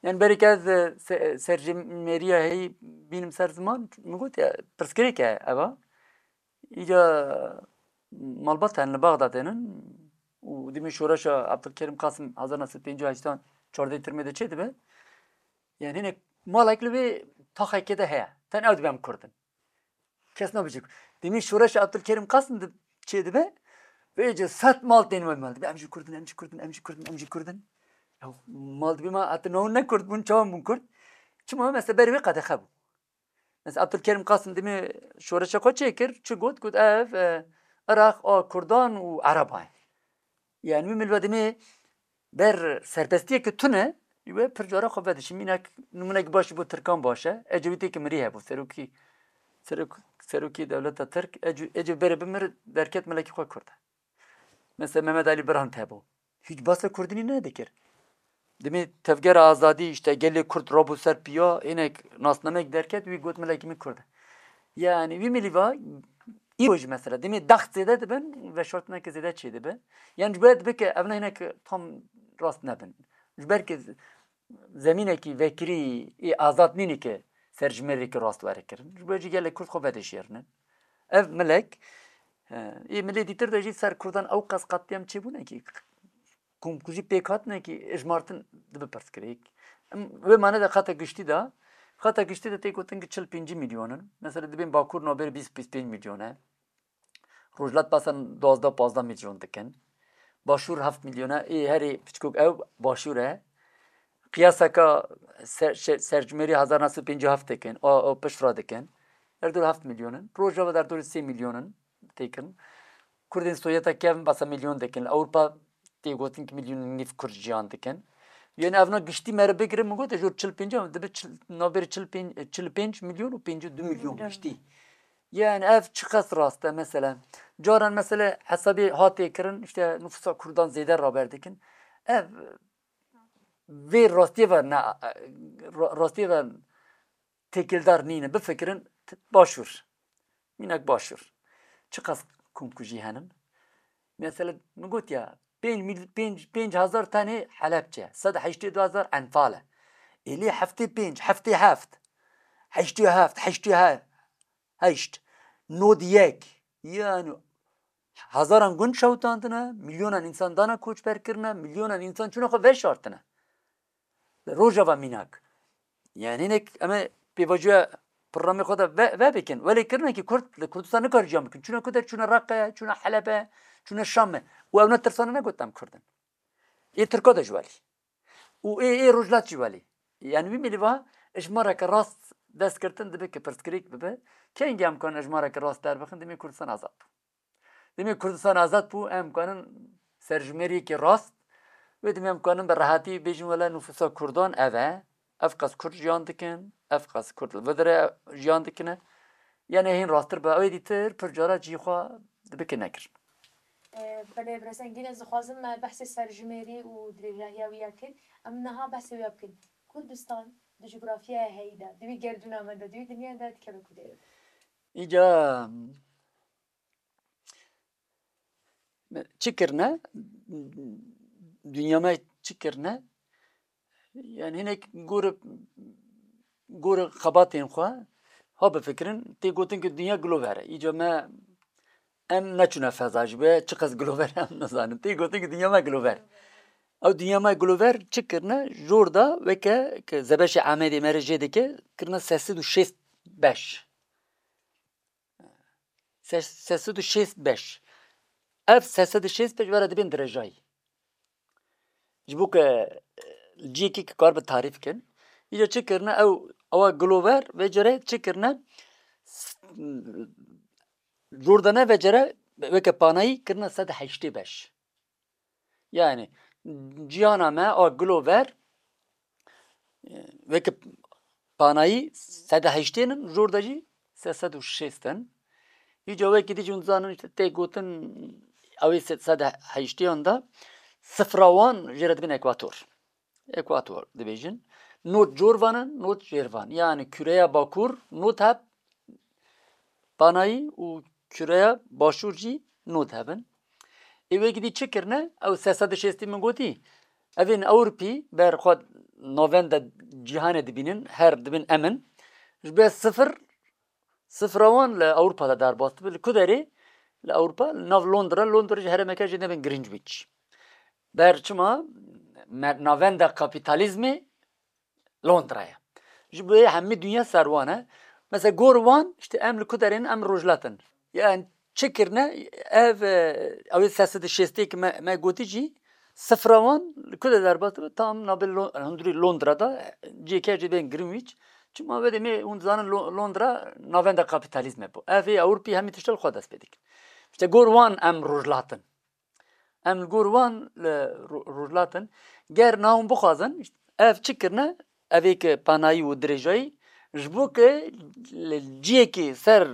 Yani berê ke ez, e, se-, serjimêriya heyî bînim ser ziman, min got ya, pirsgirêk e eva. Îca malbat hene li Baxdadê ne û dimî şoreşa Abdulkerim Qasim hezar neh sed pêncî û heştan çardeh Tirmê de çê dibe. Yani hinek malek li vê taxekê de heye. Ten ew dibe em Kurd in. Kes nabêje. Dimî şoreşa Abdulkerim Qasim di çê dibe. Vê êce sed mal tên wê mal dibe. Em jî Kurd in, em jî Kurd in, em jî Kurd in, em jî Kurd in. Ya mal dibe ma heta niha ne Kurd bûn, çawan bûn Kurd? Çima mesela berê wê qedexe bû. Mesela Abdulkerim Qasim dimî şoreşa xwe çêkir, çi got? Got ev, e, Iraq a Kurdan û Ereba ye. Yani wî milî dimî ber serbestiyeke tune, wê pir cara xwe vedişî. Mînak, nimûnek baş ji bo Tirkan baş e. Ecewîtê ki mirî hebû. Serokî, serok-, serokî dewleta Tirk, Ece-, Ecevît berê bimir derket milekî xwe Kurd e. Mesela Mehmet Ali Birhan hebû. Hiç basa Kurdînî nedikir. Dimê tevgera azadî, işte gelê Kurd rabû ser piya, hinek nasnamek derket, wî got milekî min Kurd e. Yani wî milî va, îro jî mesela, dimê daxt zêde dibin, veşartineke zêde çê dibe. Yani ji bo dibe ke ev ne hinek tam rast nebin. Ji ber ke zemînekî vekirî ê azad nîne ke serjimêrî ke rast were kirin. Ji bo jî gelê Kurd xwe vedişêrinin. Ev milek, e, ê milê dîtir de jî ser Kurdan ew qas qetlîam çêbûne ki komkujî pêk hatine ki êjmartin dibe pirsgirêk. Em wê mane de xeta giştî de, xeta giştî de tê gotin ki çil pêncî milyon in. Mesela dibên Bakur nabêr bîst, bîst pênc milyon e. Rojhilat basan duwazdeh, pazdeh milyon dikin. Başûr heft milyon e. Ê herê piçkok ew Başûr e. Qiyaseka ser-, şe-, serjimêrî hezar neh sed pêncî û heft dikin. A, a pişt re dikin. Her dor heft milyon in. Rojava der dorê sê milyon in. Têkin. Kurdên Sovyeta kevin basa milyon dikin. Li Ewropa tê gotin ki milyon û nîv Kurd jiyan dikin. Yani evna giştî mere bigirin, min got, jor çil pênc, dibe çil, navbêrê çil pênc, çil pênc milyon û pêncî û du milyon giştî. Yani ev çiqas rast e mesela. Caran mesela hesabê hatê kirin, işte nüfusa Kurdan zêde raber dikin. Ev vê rastiyê ve ne, ra-, rastiyê ve têkildar nîne. Bifikirin, t-, Başûr. Mînak Başûr. Çiqas komkujî henin? Mesela min got ya, pênc mil-, pênc, pênc hezar tenê Helebçe, sed heştê du hezar Enfal e. Êlî heftê pênc, heftê heft, heştê heft, heştê heft, heşt, nod yek. Yani hezaran gund şewitandine, milyonan însan dana koçber kirine, milyonan însan çûne xwe veşartine. Li Rojava mînak. Yani hinek em ê pêvajoya programê xwe de ve, ve bikin. Welê kirine ki Kurd li Kurdistan nikare jiyan bikin. Çûne ku der, çûne Reqe, çûne Helebe, çûne Şam e. Û ew ne tirsane negot em Kurd in. Ê Tirka de ji welî. Û ê, ê Rojhilat jî welî. Yani wî milî va êjmareke rast dest girtin dibe ki pirsgirêk bibe. Kengî em karin êjmareke rast derbixin, dimê Kurdistan azad bû. Demê Kurdistan azad bû, em kanin serjimêriyekê rast, wê demê em kanin bi rehatî bêjin, wele nufûsa Kurdan ev e, ev qas Kurd jiyan dikin, ev qas Kurd li vir de jiyan dikine. Yani hîn rasttir be, ew ê dîtir pir cara cihê xwe dibike nekirin. E, belê, birêz Engîn, ez dixwazim me behsê serjimêrî û dirêjahiya wî ya kir. Em niha behsê wî ya bikin. Kurdistan di cografyaya heyî de, di wî gerdûna me de, di wî dinya de dikeve kudê? Îca çi kirine? Dinya me çi kirine? Yani hinek gore, gore xebatên xwe ha bifikirin, tê gotin ki dinya glover e. Îca me em neçûne feza, ji bo çiqas glover em nizanin. Tê gotin ki dinya me glover. Ew dinya me glover çi kirine? Jor da weke ki Zebeşê Amedê me re jê dike, kirine sê sed û şêst beş. Ses-, sê sed û şêst beş. Ev sê sed û şêst beş were dibên dirêjayî. Ji bo ke, e, cihekî ki kar bi tarîf kin. Îca çi kirine ew, ewa Glover vê cere çi kirine? S-, Jordane vê cere weke panayî kirine sed heştê beş. Yani ciyana me a Glover, e, weke panayî sed heştê in, jor de jî sê sed û şêst in. Îca wekî dî jî hûn dizanin, işte, tê gotin ew ê sed heştêyan de sifra wan jê re dibin ekwator. Ekwator dibêjin. not cor van in, not jêr van. Yani küreya bakur not heb panayî û küreya başûr jî not hebin. Ê wekî dî çi kirine? Ew sê sed û şêstî min gotî. Evên Ewropî ber xwe navenda cîhanê dibînin, her dibin emin. Ji ber sifir, sifra wan li Ewropa de derbas dibe. Li ku derê? Li Ewropa, li nav Londra, Londra ji herêmeke jê nebin Greenwich. Ber çima? Me-, navenda kapîtalîzmê Londra ye. Ji bo hemî dinya ser wan e. Mesela gor wan, işte em li ku derê ne, em rojhilat in. Yani çi kirine? Ev, e, ew ê sê sed û şêstê ki me, me gotî jî, sifra wan li ku de derbas dibe? Tam navê Lo-, hundirî Londra de, cihê ke jê bên Greenwich. Çima wê demê hûn dizanin Lo-, Londra navenda kapîtalîzmê bû. Ev ê Ewropî hemî tişt li xwe dest pê dikin. İşte gor wan em rojhilat in. Em li gor wan li ro-, rojhilat in. Ger na hûn bixwazin, ev çi kirine? Ev ê ki panayî û dirêjayî, ji bo ki li ciyekî ser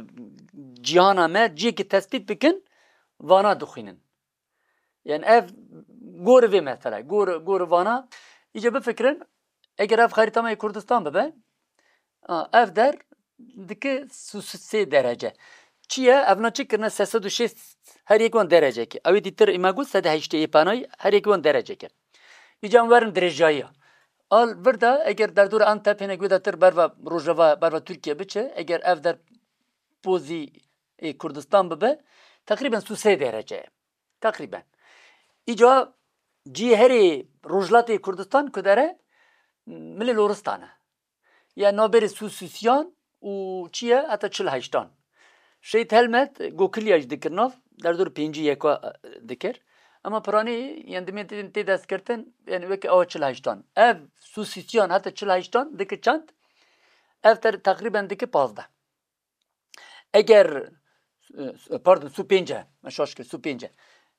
cîhana me ciyekî tespît bikin, vana dixwînin. Yani ev gor vê mesele, gor, gor vana. Îca bifikirin, eger ev xerîta me yê Kurdistan bibe, a, ev der dike su-, su-, sê derece. Çi ye? Evna çi kirine? Sê sed û şêst, her yek wan derecekê. Ew ê dîtir ê me got sed û heştê yê panayî, her yek wan derecekê. Îca em werin dirêjayiya. Al vir de eger derdora Antep hinek wê de tir berva Rojava, berva Tirkiye biçe, eger ev der pozî ê Kurdistan bibe, teqrîben su sê derece ye. Teqrîben. Îca cihê herê Rojhilatê Kurdistan ku dere milê Loristan e. Ya navberê su sisiyan û çi ye heta çil heştan. Şehîd Helmet Gokilya jî dikir nav, derdor pêncî yeka dikir. Ema piranî, yani dimê tê, tê destgirtin, yani weke awa çil heştan. Ev su sisiyan heta çil heştan dike çend? Ev ter-, teqrîben dike pazdeh. Eger, e, pardon, su pênc e, me şaş kir, su pênc e.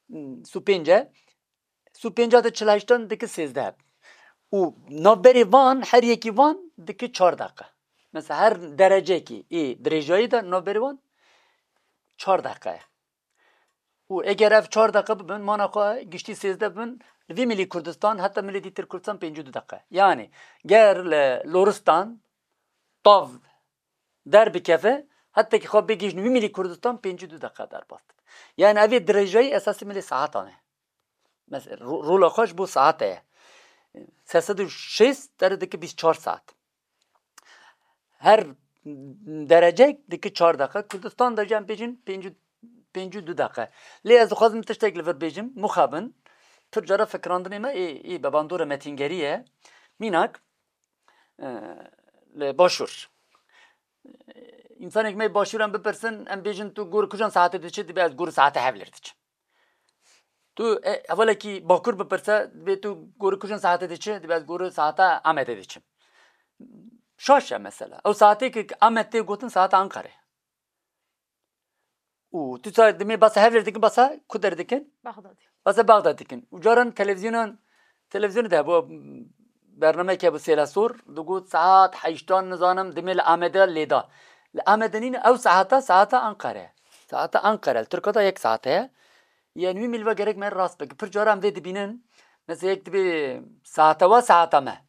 Hmm, su pênc e. Su pênc de çil heştan dike sêzdeh. Û navberê van, her yekî van dike çar deqe. Mesela her derecekî ê dirêjayî de navberê wan çar deqe ye. Û eger ev çar deqe bibin, mana xwe giştî sêzdeh bibin, li vî milî Kurdistan heta milê dîtir Kurdistan pêncî û du deqe. Yani ger li Loristan tav derbikeve, hetekî xwe bigihîjin wî milî Kurdistan pêncî û du deqe derbas dibe. Yani ev ê dirêjayî esasî milê saetan e. Mes-, ro-, rola xwe ji bo saete ye. Sê sed û şêst tere dike bîst çar saet. Her derecek dike çar deqe. Kurdistan de jî em bêjin pêncî, pêncî û du deqe. Lê ez dixwazim tiştek li vir bêjim, mixabin, pir cara fikirandinê me ê, ê bi bandora metîngerî ye. Mînak, e, li Başûr. Însanek me Başûran bipirsin, em bêjin, tu gor kujan saetê diçî, dibe ez gor saete Hewlêr diçim. Tu, e, hevalekî Bakur bipirse, dibê tu gor kujan saetê diçî, dibe ez gor saete Amedê diçim. Şaş e mesela. Ew saetê ki Amed tê gotin saeta Ankarê. Û tu sa dimê basa Hewlêr dikin, basa ku der dikin? Bexdadê. Basa Bexdad dikin. Û caran televîzyonan, televîzyonê de hebû, bernameyek hebû Sêla Sor, digot saet heştan nizanim dimê li Amedê lêda. Li Amedê nîne, ew saeta, saeta Anqere. Saeta Anqere, li Tirka de yek saete ye. Yani wî milî ve gerek me rast bike. Pir cara em vê dibînin. Mesela yek dibê saeta we saeta me.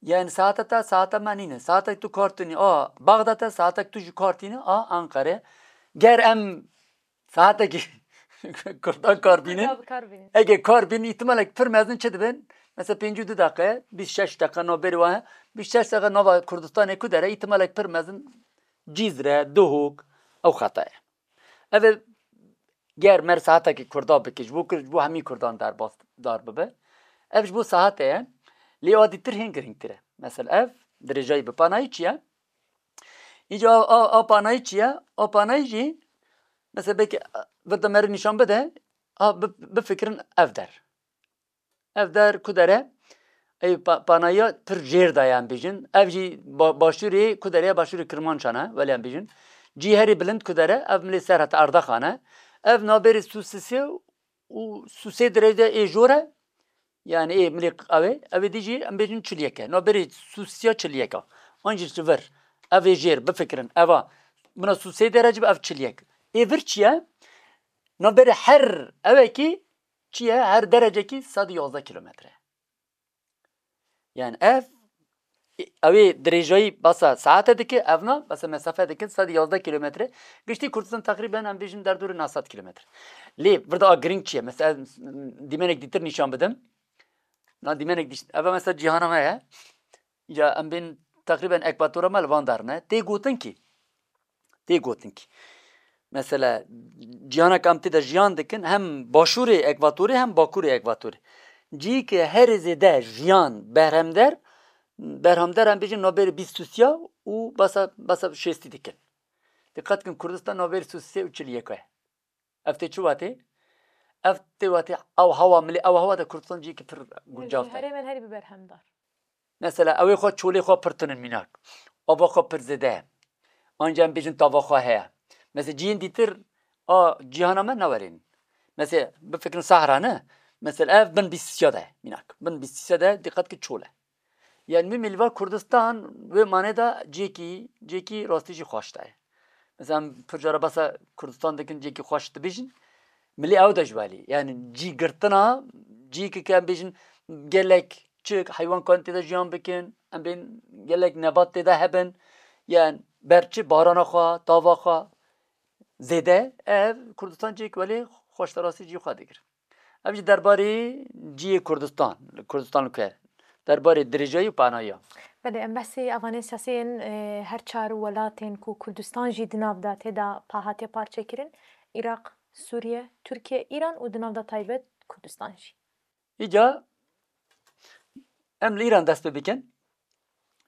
Yani saeta te saeta me nîne. Saetek tu kar tînî a Baxdad e, saetek tu jî kar tînî a Anqere. Ger em saetekî Kurdan kar bînin, Kurda bi kar bînin. Ege kar bînin, îhtimalek pir mezin çi dibin? Mesela pêncî û du deqe, bîst şeş deqe navberê wan e. Bîst şeş deqe nava Kurdistanê ku dere, îhtimalek pir mezin Cîzre, Duhok, ew xeta ye. Ev ê ger mer saetekî Kurda bike, ji bo Kurd, ji bo hemî Kurdan derbas, dar bibe. Ev ji bo saete ye. Lê a dîtir hên girîngtir e. Mesela ev dirêjayî bi panayî çi ye? Îca a, a, a panayî çi ye? A panayî jî, mesela belkî, e, vir de meri nîşan bide, a, bi-, bifikirin ev der. Ev der ku der e? Ey pa-, panayiya pir jêr de ye em bêjin. Ev jî ba-, başûrê ku der e? Başûrê Kirmancan e, welê em bêjin. Cî herî bilind ku der e? Ev milê Serhet Erdaxan e. Ev navberê Sûsisê û Sûsê dirêj de ê jor e. Yani ê milê ew ê, ew ê dî jî em bêjin çil yek e. Navberê Sûsiya çil yek e. An jî ji vir. Ev ê jêr bifikirin. Eva mina Sûsê derece bi ev çil yek. Ê vir çi ye? Navberê her ewekî çi ye? Her derecekî sed û yazdeh kilometre. Yani ev Ew ê dirêjayî basa saete dike, ev na basa mesafe dikin sed yazdeh kilometre. Giştî Kurdistan teqrîben em bêjin derdorê neh sed kilometre. Lê vir de a girîng çi ye? Mesela dîmenek dîtir nîşan bidim. Na dîmenek dîş-, ev mesela cîhana me ye. Ya em bên teqrîben ekvatora me li van der ne. Tê gotin kî. Tê gotin kî. Mesela cîhanek em tê de jiyan dikin, hem başûrê ekvatorê hem bakurê ekvatorê. Cî ke herê zêde jiyan berhemder, berhamder em bêjin navbêrê bîst û sê û basa, basa şêstî dikin. Diqet kin Kurdistan navbêrê sî û sê û çil û yek ye. Ev tê çi watê? Ev tê watê ew hewa milê, ew hewa de Kurdistan ciyekî pir guncav te. Herêmên herî bi berhemdar. Mesela ew ê xwe çolê xwe pir tinin mînak. Ava xwe pir zêde ye. Anca em bêjin tava xwe heye. Mesela ciyên dîtir a cîhana me nawerên. Mesela bifikirin Sahra ne? Mesela ev bin bîst sîya de ye mînak. Bin bîst sîya de diqet ki çol e. Yani min milî va Kurdistan wê manê de cêkî, cêkî rastî jî xweş de ye. Mesela em pir cara basa Kurdistan dikin cêkî xweş dibêjin. Milî ew de ji welî. Yani cî girtina, cî ki em bêjin gelek çik, heywan kan tê de jiyan bikin, em bên gelek nebat tê de hebin. Yani ber çi barana xwe, tava xwe zêde, ev Kurdistan cêk welê xweş de rastî cî xwe digir. Ev jî derbarê ciyê Kurdistan, Kurdistan li ku ye. Derbarê dirêjayî û panayiya. Belê, em behsê avanên siyasî yên, e, her çar welatên ku Kurdistan jî di nav de tê de pa hatiye parçekirin, Iraq, Sûriye, Tirkiye, Îran û di nav de taybet Kurdistan jî. Îca em li Îran dest pê bikin.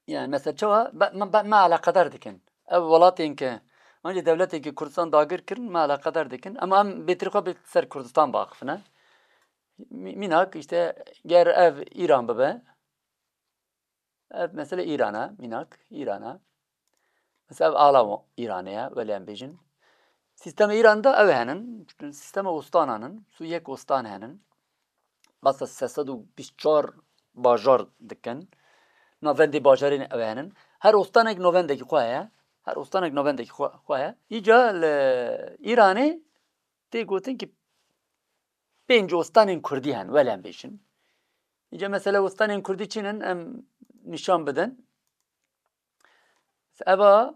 Yani mesela çawa be-, me, be-, me eleqedar dikin. Ev welatên ke, ancî dewletên ke Kurdistan dagir kirin, me eleqedar dikin. Ama em bêtir xwe bi ser Kurdistan biaxifine. Mî-, mînak işte ger ev Îran bibe, ev mesele Îran e, mînak Îran e. Mesela ev ala Îranê ye, welê em bêjin. Sîstemê Îran de ew henin, sîstema ostanan in, sî û yek ostan henin. Basa sê sed û bîst û çar bajar dikin. Navendê bajarên ew henin. Her ostanek navendekî xwe heye. Her ostanek navendekî xwe, xwe heye. Îca li Îranê tê gotin ki pênc ostanên kurdî henin, welê em bêjin. Îca mesela ostanên kurdî çi ne em nîşan bidin. Eva,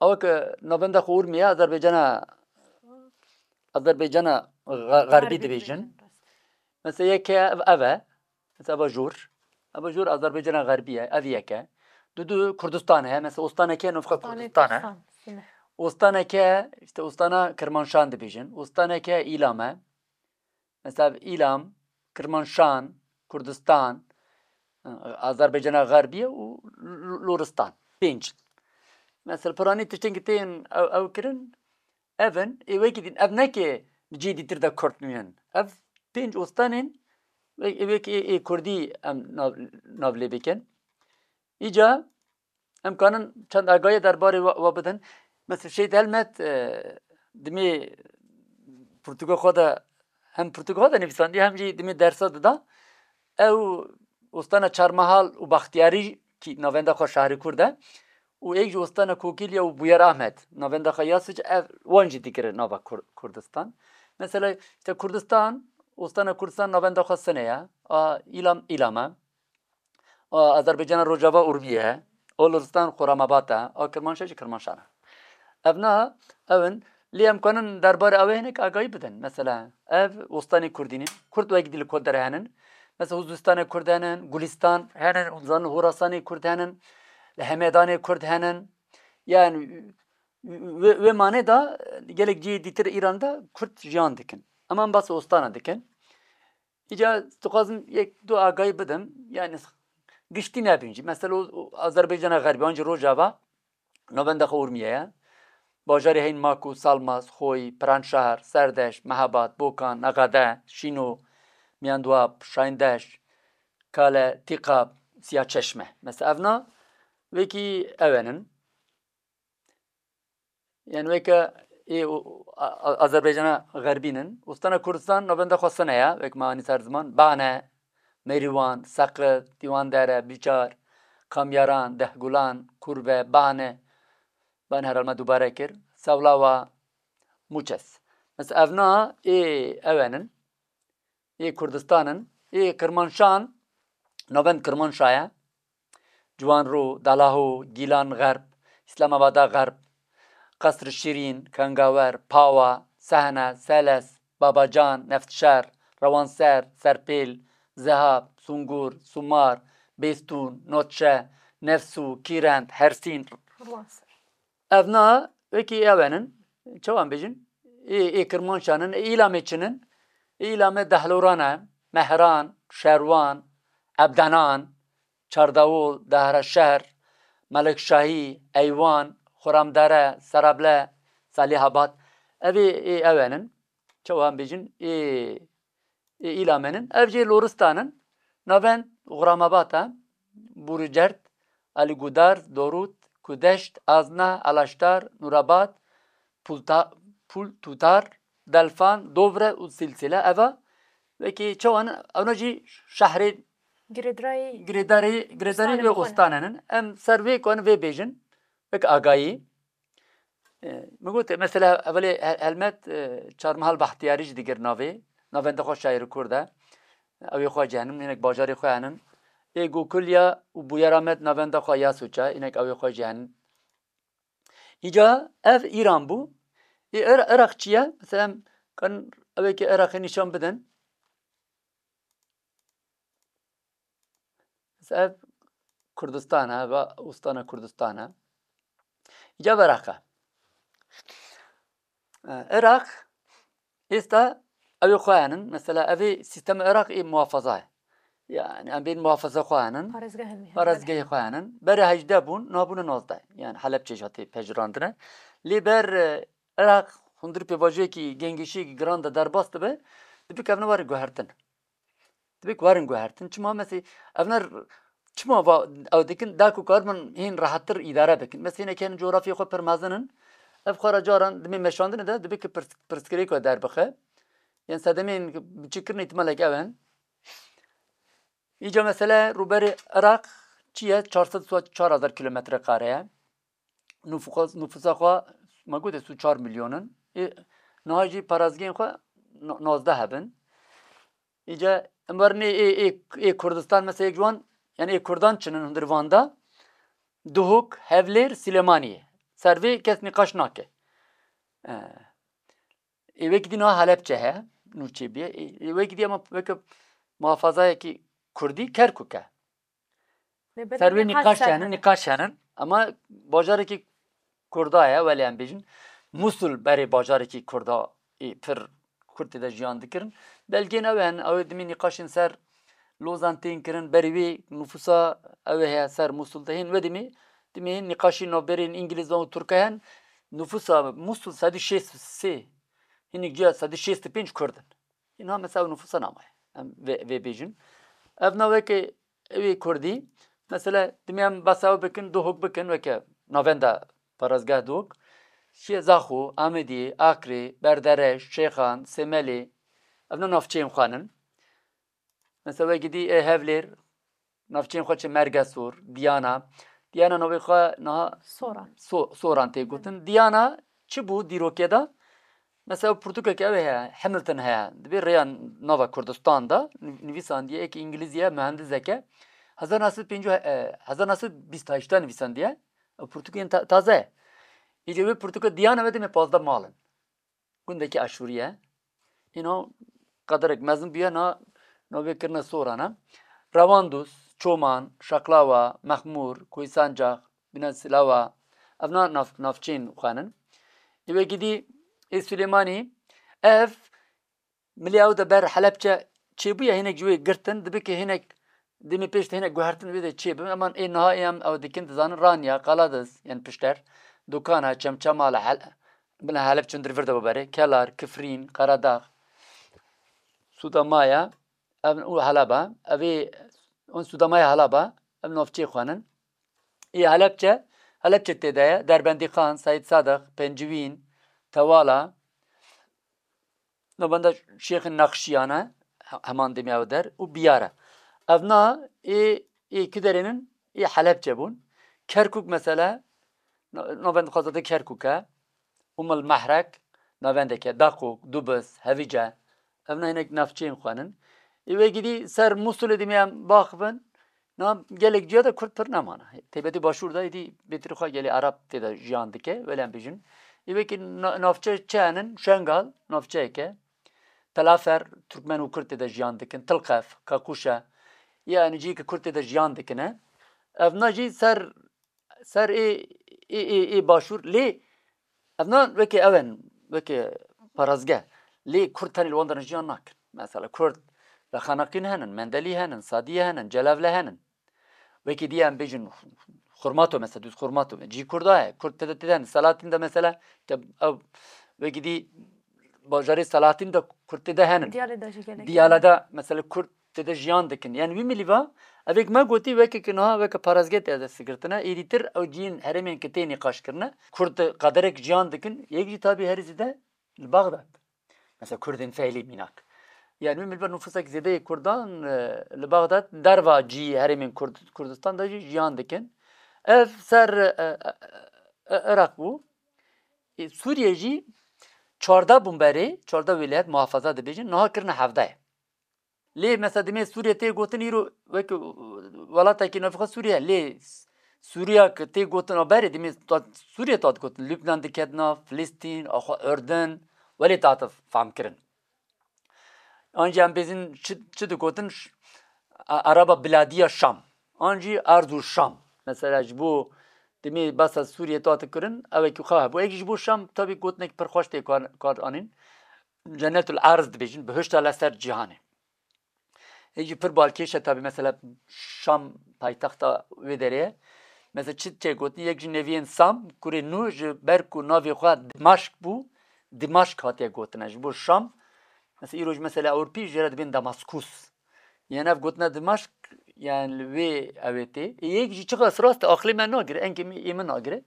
ew ke navenda xwe Urmiye, Azerbaycana, Azerbaycana Xe-, Xerbî dibêjin. Mesela yeke ev, ev e. Mesela eva jor. Eva jor Azerbaycana Xerbî ye. Ev yeke. Du du Kurdistan heye. Mesela ostaneke navxwe Kurdistan e. Ostaneke, işte ostana Kirmanşan dibêjin. Ostaneke Îlam e. Mesela Îlam, Kirmanşan, Kurdistan, Azerbaycana Xerbî ye û L-, Loristan. Pênc. Mesela piranî tiştên ki tên ew, ew kirin, ev in, ê wekî din, ev neke cihê dîtir de Kurd nûnin. Ev pênc ostanên, wek-, ê wekî ê, ê Kurdî em nav, nav lê bikin. Îca em kanin çend agahiyê derbarê wa, wa bidin. Mesela Şehîd Helmet, e, dimê pirtûka xwe de, hem pirtûka xwe de nivîsandiye, hem jî dimê dersa dida. Ew ostana Çarmahal û Baxtiyarî ki navenda xwe şahrê Kurd e. Û êk jî ostana Kokîlya û Bûyer Ahmed, navenda xwe ya Sic, ev wan jî digire nava Kur-, Kurdistan. Mesela işte Kurdistan, ostana Kurdistan navenda xwe Sine ye. A Îlam, Îlam e. A Azerbaycana Rojava Urmiye, a Loristan Xuramabat e, a Kirmanşah jî Kirmanşan e. Ev na, ew in, lê em kanin derbarê ew ê hinek agahî bidin. Mesela, ev ostanê Kurdî ne, Kurd wek dî li ku derê henin. Mesela, Huzistanê Kurd henin, Gulistan henin, hûn zanin Horasanê Kurd henin, li Hemedanê Kurd henin. Yani, wê, wê manê de gelek cihê dîtir Îran de Kurd jiyan dikin. Ema em bas ostana dikin. Îca dixwazim yek du agahî bidim, yani giştî nebin jî. Mesela o, o Azerbaycana Xerbî, an jî Rojava, navenda xwe Urmiye ye. Bajarê heyîn Maku, Salmas, Xoyî, Piranşehir, Serdeş, Mehabad, Bokan, Nexede, Şîno, Miyanduap, Şahindeş, Kale, Tîqab, Siyaçeşme. Mesela evna wekî ew henin. Yani weke ê û, a, a, Azerbaycana Xerbî nin. Ostana Kurdistan navenda xwe Sine ye, wek me anî ser ziman. Bane, Mêrîwan, Seqit, Dîwandere, Bîçar, Kamyaran, Dehgulan, Kurve, Bane. Bane herhalde me dubare kir. Sewlawa, Muçes. Mesela evna ê ew henin. Ê Kurdistan in. Ê Kirmanşan, navend Kirmanşa ye. Ciwanrû, Dalaho, Gîlan Xerb, Îslamabada Xerb, Qesr Şîrîn, Kangawer, Pawa, Sehne, Seles, Babacan, Neftşer, Rewanser, Serpêl, Zehab, Sungur, Sumar, Bêstûn, Notçe, Nefsû, Kîrend, Hersîn. Rewanser. Evna wekî ew enin, çawan bêjin? Ê, ê Kirmanşan in, ê Îlamê çin in? Ê Îlamê Dehloran e, Mehran, Şerwan, Ebdenan, Çardawol, Dehreşehr, Melikşahî, Eywan, Xuramdere, Serable, Salîhabad. Ev ê, ê ew enin. Çawan bêjin? Ê, ê Îlamê nin. Ev jê Loristan in. Navend Xuramabad e. Burcert, Alîgudar, Dorût, Kudeşt, Azna, Alaştar, Nûrabad, Pulta-, Pul Tutar, Delfan, Dovre û Silsile. Eva wekî çawan, ewna jî şehrê Girêdarî, girêdarî, girêdarî wê ustanê nin. Em ser vê ku em vê bêjin, wek agayî. E, min got, mesela, evelê he-, helmet, e, Çarmihal Bahtiyarî jî digir navê. Navenda xwe şaîrê Kurd e. Ew ê xwe jî henin, hinek bajarê xwe henin. Ê Gokulya û Bûyer Amed navenda xwe ya Sûça, hinek ew ê xwe jî henin. Îca ev Îran bû. Ê Ir-, Iraq çi ye? Mesela em kan ew ê ki Iraqê nîşan bidin. Mesela ev Kurdistan e, va Ustana Kurdistan e. Îca Iraq e. E, Iraq êsta ew ê xwe henin. Mesela ev ê sîstemê Iraq ê muhafaza ye. Yani em bên muhafaza xwe henin. Parêzgehên wî henin. Parêzgehê xwe henin. Berê hejdeh bûn, niha bûne nozdeh. Yani Helebçe jî hatê pejirandine. Lê ber, e, Iraq hundir pêvajoyekî gengişiyekî giran de derbas dibe, dibik ev ne werin guhertin. Dibik werin guhertin. Çima mesê, ev ne r-, çima va, ew dikin, da ku kar min hîn rehettir îdare bikin. Mesê hinek hene coğrafyê xwe pir mezin in. Ev xwe re caran dimê meşandinê de dibik pirs-, pirsgirêk we derbixe. Yan sedemên biçîkirinê îhtimalek ew in. Îca mesele rûberê Iraq çi ye? Çar sed û çar hezar kilometre kare ye. Nufûxa-, nufûsa xwe me gote sî û çar milyon in. Ê, niha jî parazgehên xwe no-, nozdeh hebin. Îca em werin ê, ê, ê, ê Kurdistan mesela yek ji wan, yani ê Kurdan çin in hundir van de. Duhok, Hevlêr, Silêmaniyê. Ser vê kes nîqaş nake. E, Ê wekî dî niha Helebçe heye, nû çêbûye. Ê, ê wekî dî ama weke muhafazayekî Kurdî Kerkûk e. Lê belê Ser wê nîqaş nîqaş ser henin, hene. Nîqaş henin. Ama bajarekî Kurda ye, welê em bêjin. Musul berê bajarekî Kurda ê pir Kurd tê de jiyan dikirin. Belgên ew hene, ew ê dimî nîqaşên ser Lozan tên kirin, berî wê nufûsa ew ê heye ser Musul de hên, wedimî, dimî hên nîqaşî navberên Îngilîzan û Tirkan hene. Nufûsa Musul sed û şêst û sê, hinek ciya sed û şêst û pênc Kurd in. Hîna mesela ew nufûsa namaye. Em vê, vê bêjin. Ev naveke ew ê Kurdî, mesela, dimî em behsa ew bikin, Duhok bikin, weke navenda parêzgeh Duhok. Şiye Zaxo, Amedî, Akrê, Berdereş, Şêxan, Sêmelê. Ev ne navçeyên xwe nin. Mesela wekî dî ê Hevlêr, navçeyên xwe çi Mergesor, Diyana. Diyana navê xwe niha Soran. So-, Soran tê gotin. Diyana çi bû dîrokê de? Mesela pirtûkeke ew heye, Hamilton heye. Dibê rêya nava Kurdistan de nivîsandiye, êkî Îngilîzî ye, muhendiseke. Hezar neh sed pêncî, e, hezar neh sed bîst heşt de nivîsandiye. Ew pirtûkên ta-, taze ye. Îcê wê pirtûka Diyana ve demê pazdeh mal in. Gundekî Aşûrî ye. Hîna qederek mezin bûye, na, navê kirine Soran e. Rewandûs, Çoman, Şaklawa, Mexmûr, Koysancax, Bîna Silawa, ev na nav-, navçeyên xwe nin. Ê wekî dî ê Silêmanî, ev milê ew de ber Helebçe çêbûye, hinek ji wê girtin, dibe ke hinek demê pêş de hinek guhertin wê de çêbin. Eman ê niha ê em ew dikin, dizanin Ranya, Qaladiz, yên pişter, Dukana, Çemçemala, Hel-, bila Helebçe hundir vir de bibere, Kelar, Kifrîn, Karadağ, Sudamaya, ev û Heleba, ev ê, on Sudamaya Heleba, ev navçeyê xwe nin. Ê Helebçe, Helebçe tê de ye, Derbendîqan, Seyd Sadiq, Pencivîn, Tewala, Navenda Şêxê Nexşiyan e, he-, heman demê ew der û Biyar e. Ev na ê, ê ki derê nin, ê Helebçe bûn. Kerkûk mesele, na-, navend xwezade Kerkûk e. Umul Mehrek, navendeke Daqûk, Dubis, Hevîce. Ev na hinek navçeyên xwe nin. Ê wekî dî ser Mûsulê demê em baxivin, Na gelek ciya de Kurd pir nemane. Taybetî başûr de êdî bêtirî xwe gelê Ereb tê de jiyan dike, wele em bêjin. Ê wekî na-, navçe çi henin? Şengal, navçeyek e. Telafer, Türkmen û Kurd tê de jiyan dikin. Tilqef, Kakuşe. Yani cihê ki Kurd tê de jiyan dikine. Ev na jî ser, ser ê, ê, ê, ê başûr. Lê ev na wekî ew in, wekî parazge. Lê Kurd tenê li wan derin jiyan nakin. Mesela Kurd li Xeneqîn henin, Mendelî henin, Sadiyê henin, Celevle henin. Wekî dî em bêjin Xurmato mesela, dûz Xurmato. Cî Kurda ye. Kurd tê de, tê de henin. Selahattin de mesela, te ew wekî dî bajarê Selahattin de Kurd tê de henin. Diyale de jî gelek. Diyale de mesela Kurd tê de jiyan dikin. Yani wî milî va, evêk me gotî weke ki niha weke parazge tê de sigirtine, êdîtir ew ciyên herêmên ki tê nîqaş kirine, Kurd qederek jiyan dikin, yek jî tabî herî zêde li Baxdad. Mesela Kurdên feylî mînak. Yani wî milî va nufusek zêde yê Kurdan, e, li Baxdad derva cî herêmên Kurd-, Kurdistan de jî jiyan dikin. Ev ser, e, e, e, Iraq bû. Ê, Sûriye jî çardeh bûn berê, çardeh wîlayet muhafaza dibêjin, niha kirine hevdeh. Lê mesela demê Sûriye tê gotin îro wek, e, welatekî navxwe Sûriye, lê Sûriya ki tê gotin a berê demê ta-, Sûriye ta digotin, Lubnan diket nav, Filistîn, axwe Urdun, welê ta te fehm kirin. An jî em bêzin çi, çi digotin? Ş-, a-, Araba Biladiya Şam. An jî Arzu Şam. Mesela ji bo demê basa Sûriye ta dikirin, ew ê ku xwe hebû. Êk ji bo Şam tabî gotinek pir xweş tê kar, kar anîn. Cennetul Arz dibêjin, bihişta li ser cîhanê. Êk jî pir balkêş e tabî, mesela Şam paytexta wê derê ye. Mesela çi tê gotin, yek ji neviyên Sam, kurê Nû ji ber ku navê xwe Dimaşk bû, Dimaşk hatiye gotine. Ji bo Şam, mesela îro jî mesela Ewropî jê re dibên Damaskus. Yan ev gotina Dimaşk, yani li wê ew ê tê. Ê yek jî çiqas rast e, aqilê me nagire, engê min, ê min nagire.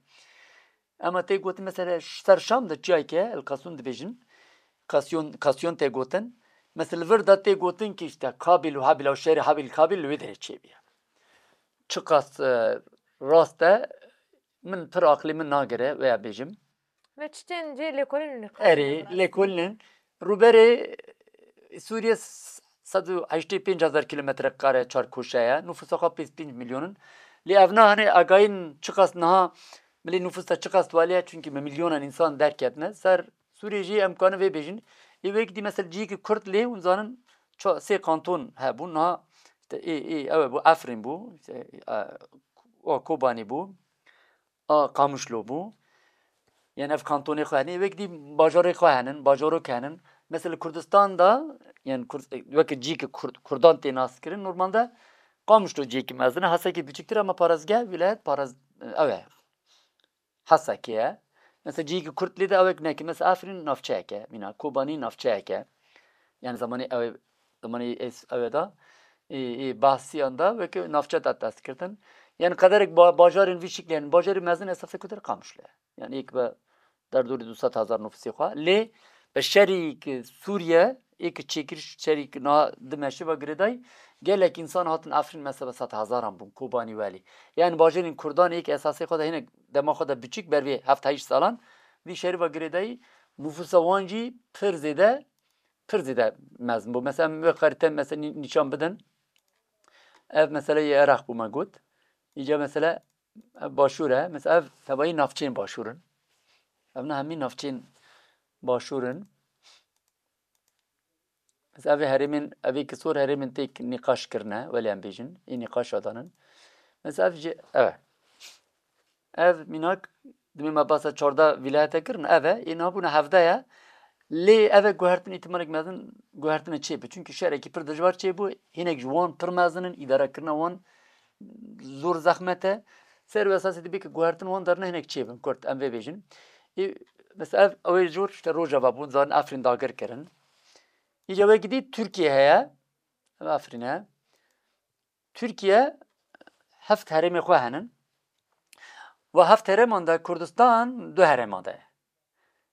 Ema tê gotin mesela ş-, ser Şam de çiyayek e, El Kasûn dibêjin. Kasyon, Kasyon tê gotin. Mesela li vir de tê gotin ki işte Kabil û Habil, ew şerê Habil Kabil li wê derê çêbûye. Çiqas, e, rast e, min pir aqilê min nagire, veya bêjim. Ve çi tên cê lêkolîn li Erê, lêkolîn in. Rûberê Sûriye s-, sed û heştê pênc hezar kilometre kare çarkoşe ye. Nufûsa xwe pênc milyon in. Lê ev nahane agayîn çiqas niha milî nufûs de çiqas waliye, çunkî bi milyonan însan derketine. Ser Sûriyê jî em kanin vê bêjin. Ê wek dî mesela cihekî Kurd lê hûn zanin ça-, sê kanton hebûn. Niha işte ê, ê, ew bû, Efrîn bû, işte, e, o Kobanî bû. A Qamişlo bû. Yanî ev kantonê xwe hene, wek dî bajarê xwe henin, bajarok henin. Mesela Kurdistan da, yani Kurd-, weke cî ki Kurd-, Kurdan tê nas kirin, normalde Qamişlo ciyekî mezin e, Hesekê biçiktir ama parazgeh, wîlayet paraz-, ew e. Hesekê ye. Mesela ciyekî Kurd lê de ew ek neke. Mesela Efrîn navçeyek e, mîna Kobanî navçeyek e. Yani zamanê ew, zamanê es-, ew e da, ê, ê, bahsiyan da weke navçe da dest kirtin. Yani qederek ba-, bajarên vî şiklê, yani bajarê mezin esasê ku der Qamişlo ye. Yani êk be derdorî du sed hezar nufusê xwe. Lê bi şerî ki Sûriye, ê ki çêkir şerî ki niha dimeşe ve girêdayî, gelek însan hatin Efrîn mesela sed hezaran bûn, Kobanî welî. Yani bajarên Kurdan ê ki esasê xwe de hinek dema xwe de biçik ber vê heft heşt salan, vî şerî ve girêdayî nufûsa wan jî pir zêde, pir zêde mezin bû. Mesela em wê xerîte mesela nî-, nîşan bidin. Ev mesela yê Iraq bû me got. Îca mesela ev başûr e. Mesela ev tebayî navçeyên başûr in. Ev ne hemî navçeyên başûr in. Mesela ev ê herêmên, ev ê ki sor herêmên têk nîqaş kirine, welê em bêjin, ê nîqaş adanin. Mesela ev jî, ev e. Ev mînak, dimê me basa çardeh vîlayete kirin, ev e, ê niha bûne hevdeh ye. Lê ev e guhertin îhtimalek mezin, guhertine çêbe. Çunkî şerekî pir dijwar çêbû, hinek ji wan pir mezin in, îdarekirina wan zor zehmet e. Ser wê esasê dibê ki guhertin wan derine hinek çêbin, kurt, em vê bêjin. Ê, mesela ev, ew ê jor işte Rojava bûn, zarin Efrîn dagir kirin. Îca wekî dî Tirkiye heye, ev Efrîn e. Tirkiye heft herêmê xwe henin. Ve heft herêman de Kurdistan du herêman de ye.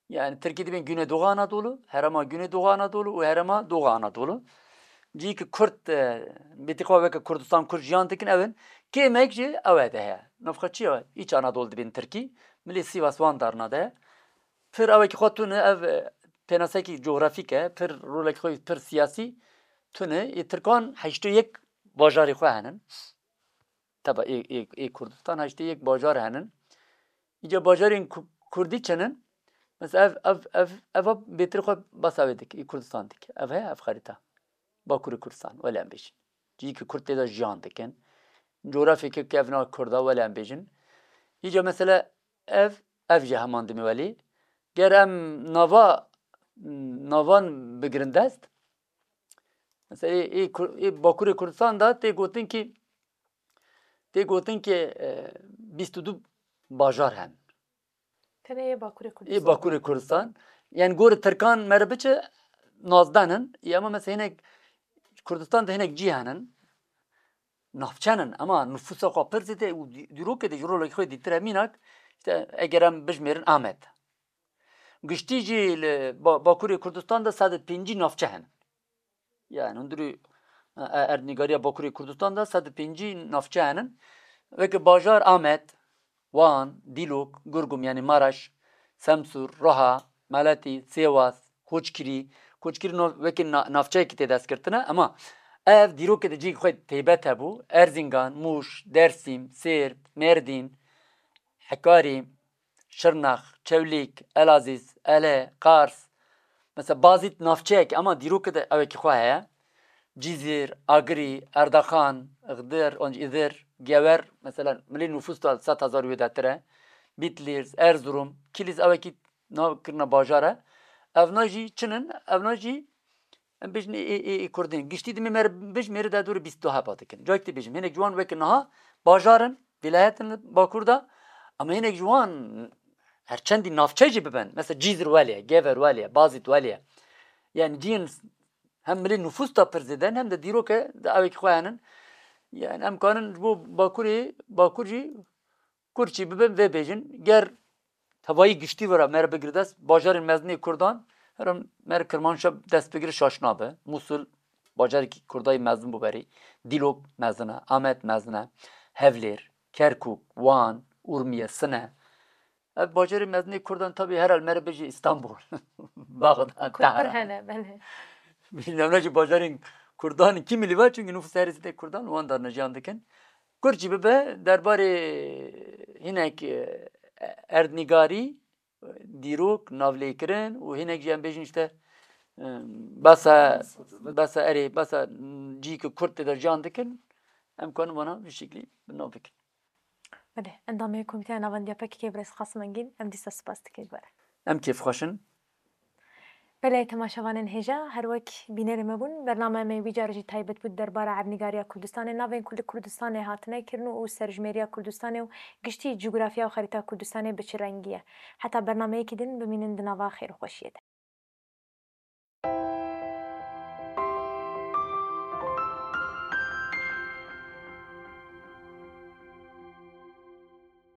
Yani Tirkî dibên Güneydoğu Anadolu, herêma Güneydoğu Anadolu û herêma Doğu Anadolu. Cî ki Kurd, e, bêtî xwe weke Kurdistan Kurd jiyan dikin ew in. Kêmek jî ew e de heye. Navxa çi ye? Îç Anadolu dibên Tirkî. Milê Sivas wan darna de. Pir ewekî xwe tune ev, e, pênasekî cografîk e. Pir rolekî xwe pir siyasî tune. Ê Tirkan heştê yek bajarê xwe henin. teba ê, ê, ê Kurdistan, heştê yek bajar henin. Îca bajarên Ku-, Kurdî çenin? Mesela ev, ev, ev, eva bêtir xwe basa wê dike, ê Kurdistan dike. Ev heye, ev xerîta. Bakurê Kurdistan, wele em bêjin. Cihî ki Kurd tê de jiyan dikin. Coğrafyeke kevna Kurda, wele em bêjin. Îca mesela ev, ev jî heman dimê welî. Ger em nava, navan bigirin dest. Mesela ê, ê Kur-, ê Bakurê Kurdistan de tê gotin ki, tê gotin ki, e, bîst û du bajar hen. Tenê yê Bakurê Ê Kurdistan. Bakurê Kurdistan. Yani gorî Tirkan mere biçe nozdeh in. Ê ama mesela hinek Kurdistan de hinek cî henin. Navçe nin. Ama nüfusa xwe pir zêde û dî-, dîrokê de ji rolekî xwe dîtire mînak. İşte eger em bijmêrin Amed. Giştî jî li Ba-, Bakurê Kurdistan de sed û pêncî navçe henin. Yani hundirî, e, e, erdnîgariya Bakurê Kurdistan de sed û pêncî navçe henin. Weke bajar Amed, Wan, Dîlok, Gurgum yani Maraş, Semsûr, Roha, Meletî, Sêwas, Koçkirî. Koçkirî no-, weke na-, navçeyekî tê destgirtine, ema ev dîrokê de cihê xwe taybet hebû. Erzingan, Mûş, Dersîm, Sêrt, Mêrdîn, Hekarî, Şirnex, Çewlîk, Elazîz, Ele, Qars. Mesela Bazîd navçeyek, ema dîrokê de ewekî xwe heye. Cîzîr, Agirî, Erdaxan, Ixdir, onc Îdir, Gewer, mesela milî nufus da sed hezar wê detir e. Bitlîz, Erzurum, Kilîz ewekî nav kirine bajar e. Evna jî çin in, evna jî em bêjin ê, ê, ê, ê Kurdên. Giştî dimê me re bijmêre de dorê bîst û du heba dikin. Cayek tê bêjim, hinek ji wan weke niha bajar in, vîlayet in li Bakur de, ama hinek ji wan her çendî navçe jî bibin. Mesela Cîzir welê ye, Gever welê ye, Bazîd welê ye. Yani ciyên hem milî nufus da pir zêde in, hem de dîroke de ewekî xwe henin. Yani em kanin ji bo Bakurê, Bakur jî Kurd jî bibin vê bêjin, ger tevayî giştî wira me re bigire dest, bajarên mezin ê Kurdan, her em me re Kirmanşa dest bigire şaş nabe. Musul bajarekî Kurdayê mezin bû berî. Dîlok mezin e, Amed mezin e, Hevlêr, Kerkûk, Wan, Urmiye, Sine. Ev bajarê mezin ê Kurdan tabî her el me re bijî Îstanbul, Baxdad, Kurd pir Tehran. Hene, belê. Bilmem ne jî bajarên Kurdan kî milî ve, çünkü nüfus herî zêde Kurdan li wan darne jiyan dikin. Kurd jî bibe derbarê hinek, e, erdnîgarî, dîrok, navlêkirin û hinek jî em bêjin işte, e, besa, besa erê, besa cî ki Kurd tê de jiyan dikin, em kanin vana vî şeklî bi nav bikin. Belê, endamê Komîteya Navendiya P K K birêz Qasim Engîn, em dîsa spas dikin ji we re. Em kêfxweş in. Belê, temaşevanên hêja, her wek bînerê me bûn, bername me wî car jî taybet bû di derbara erdnîgariya Kurdistanê, navên ku li Kurdistanê hatine kirin û serjimêriya Kurdistanê û giştî cografya û xerîta Kurdistanê bi çi rengî ye. Heta bernameyekî din bimînin di nava xêr û xweşiyê de.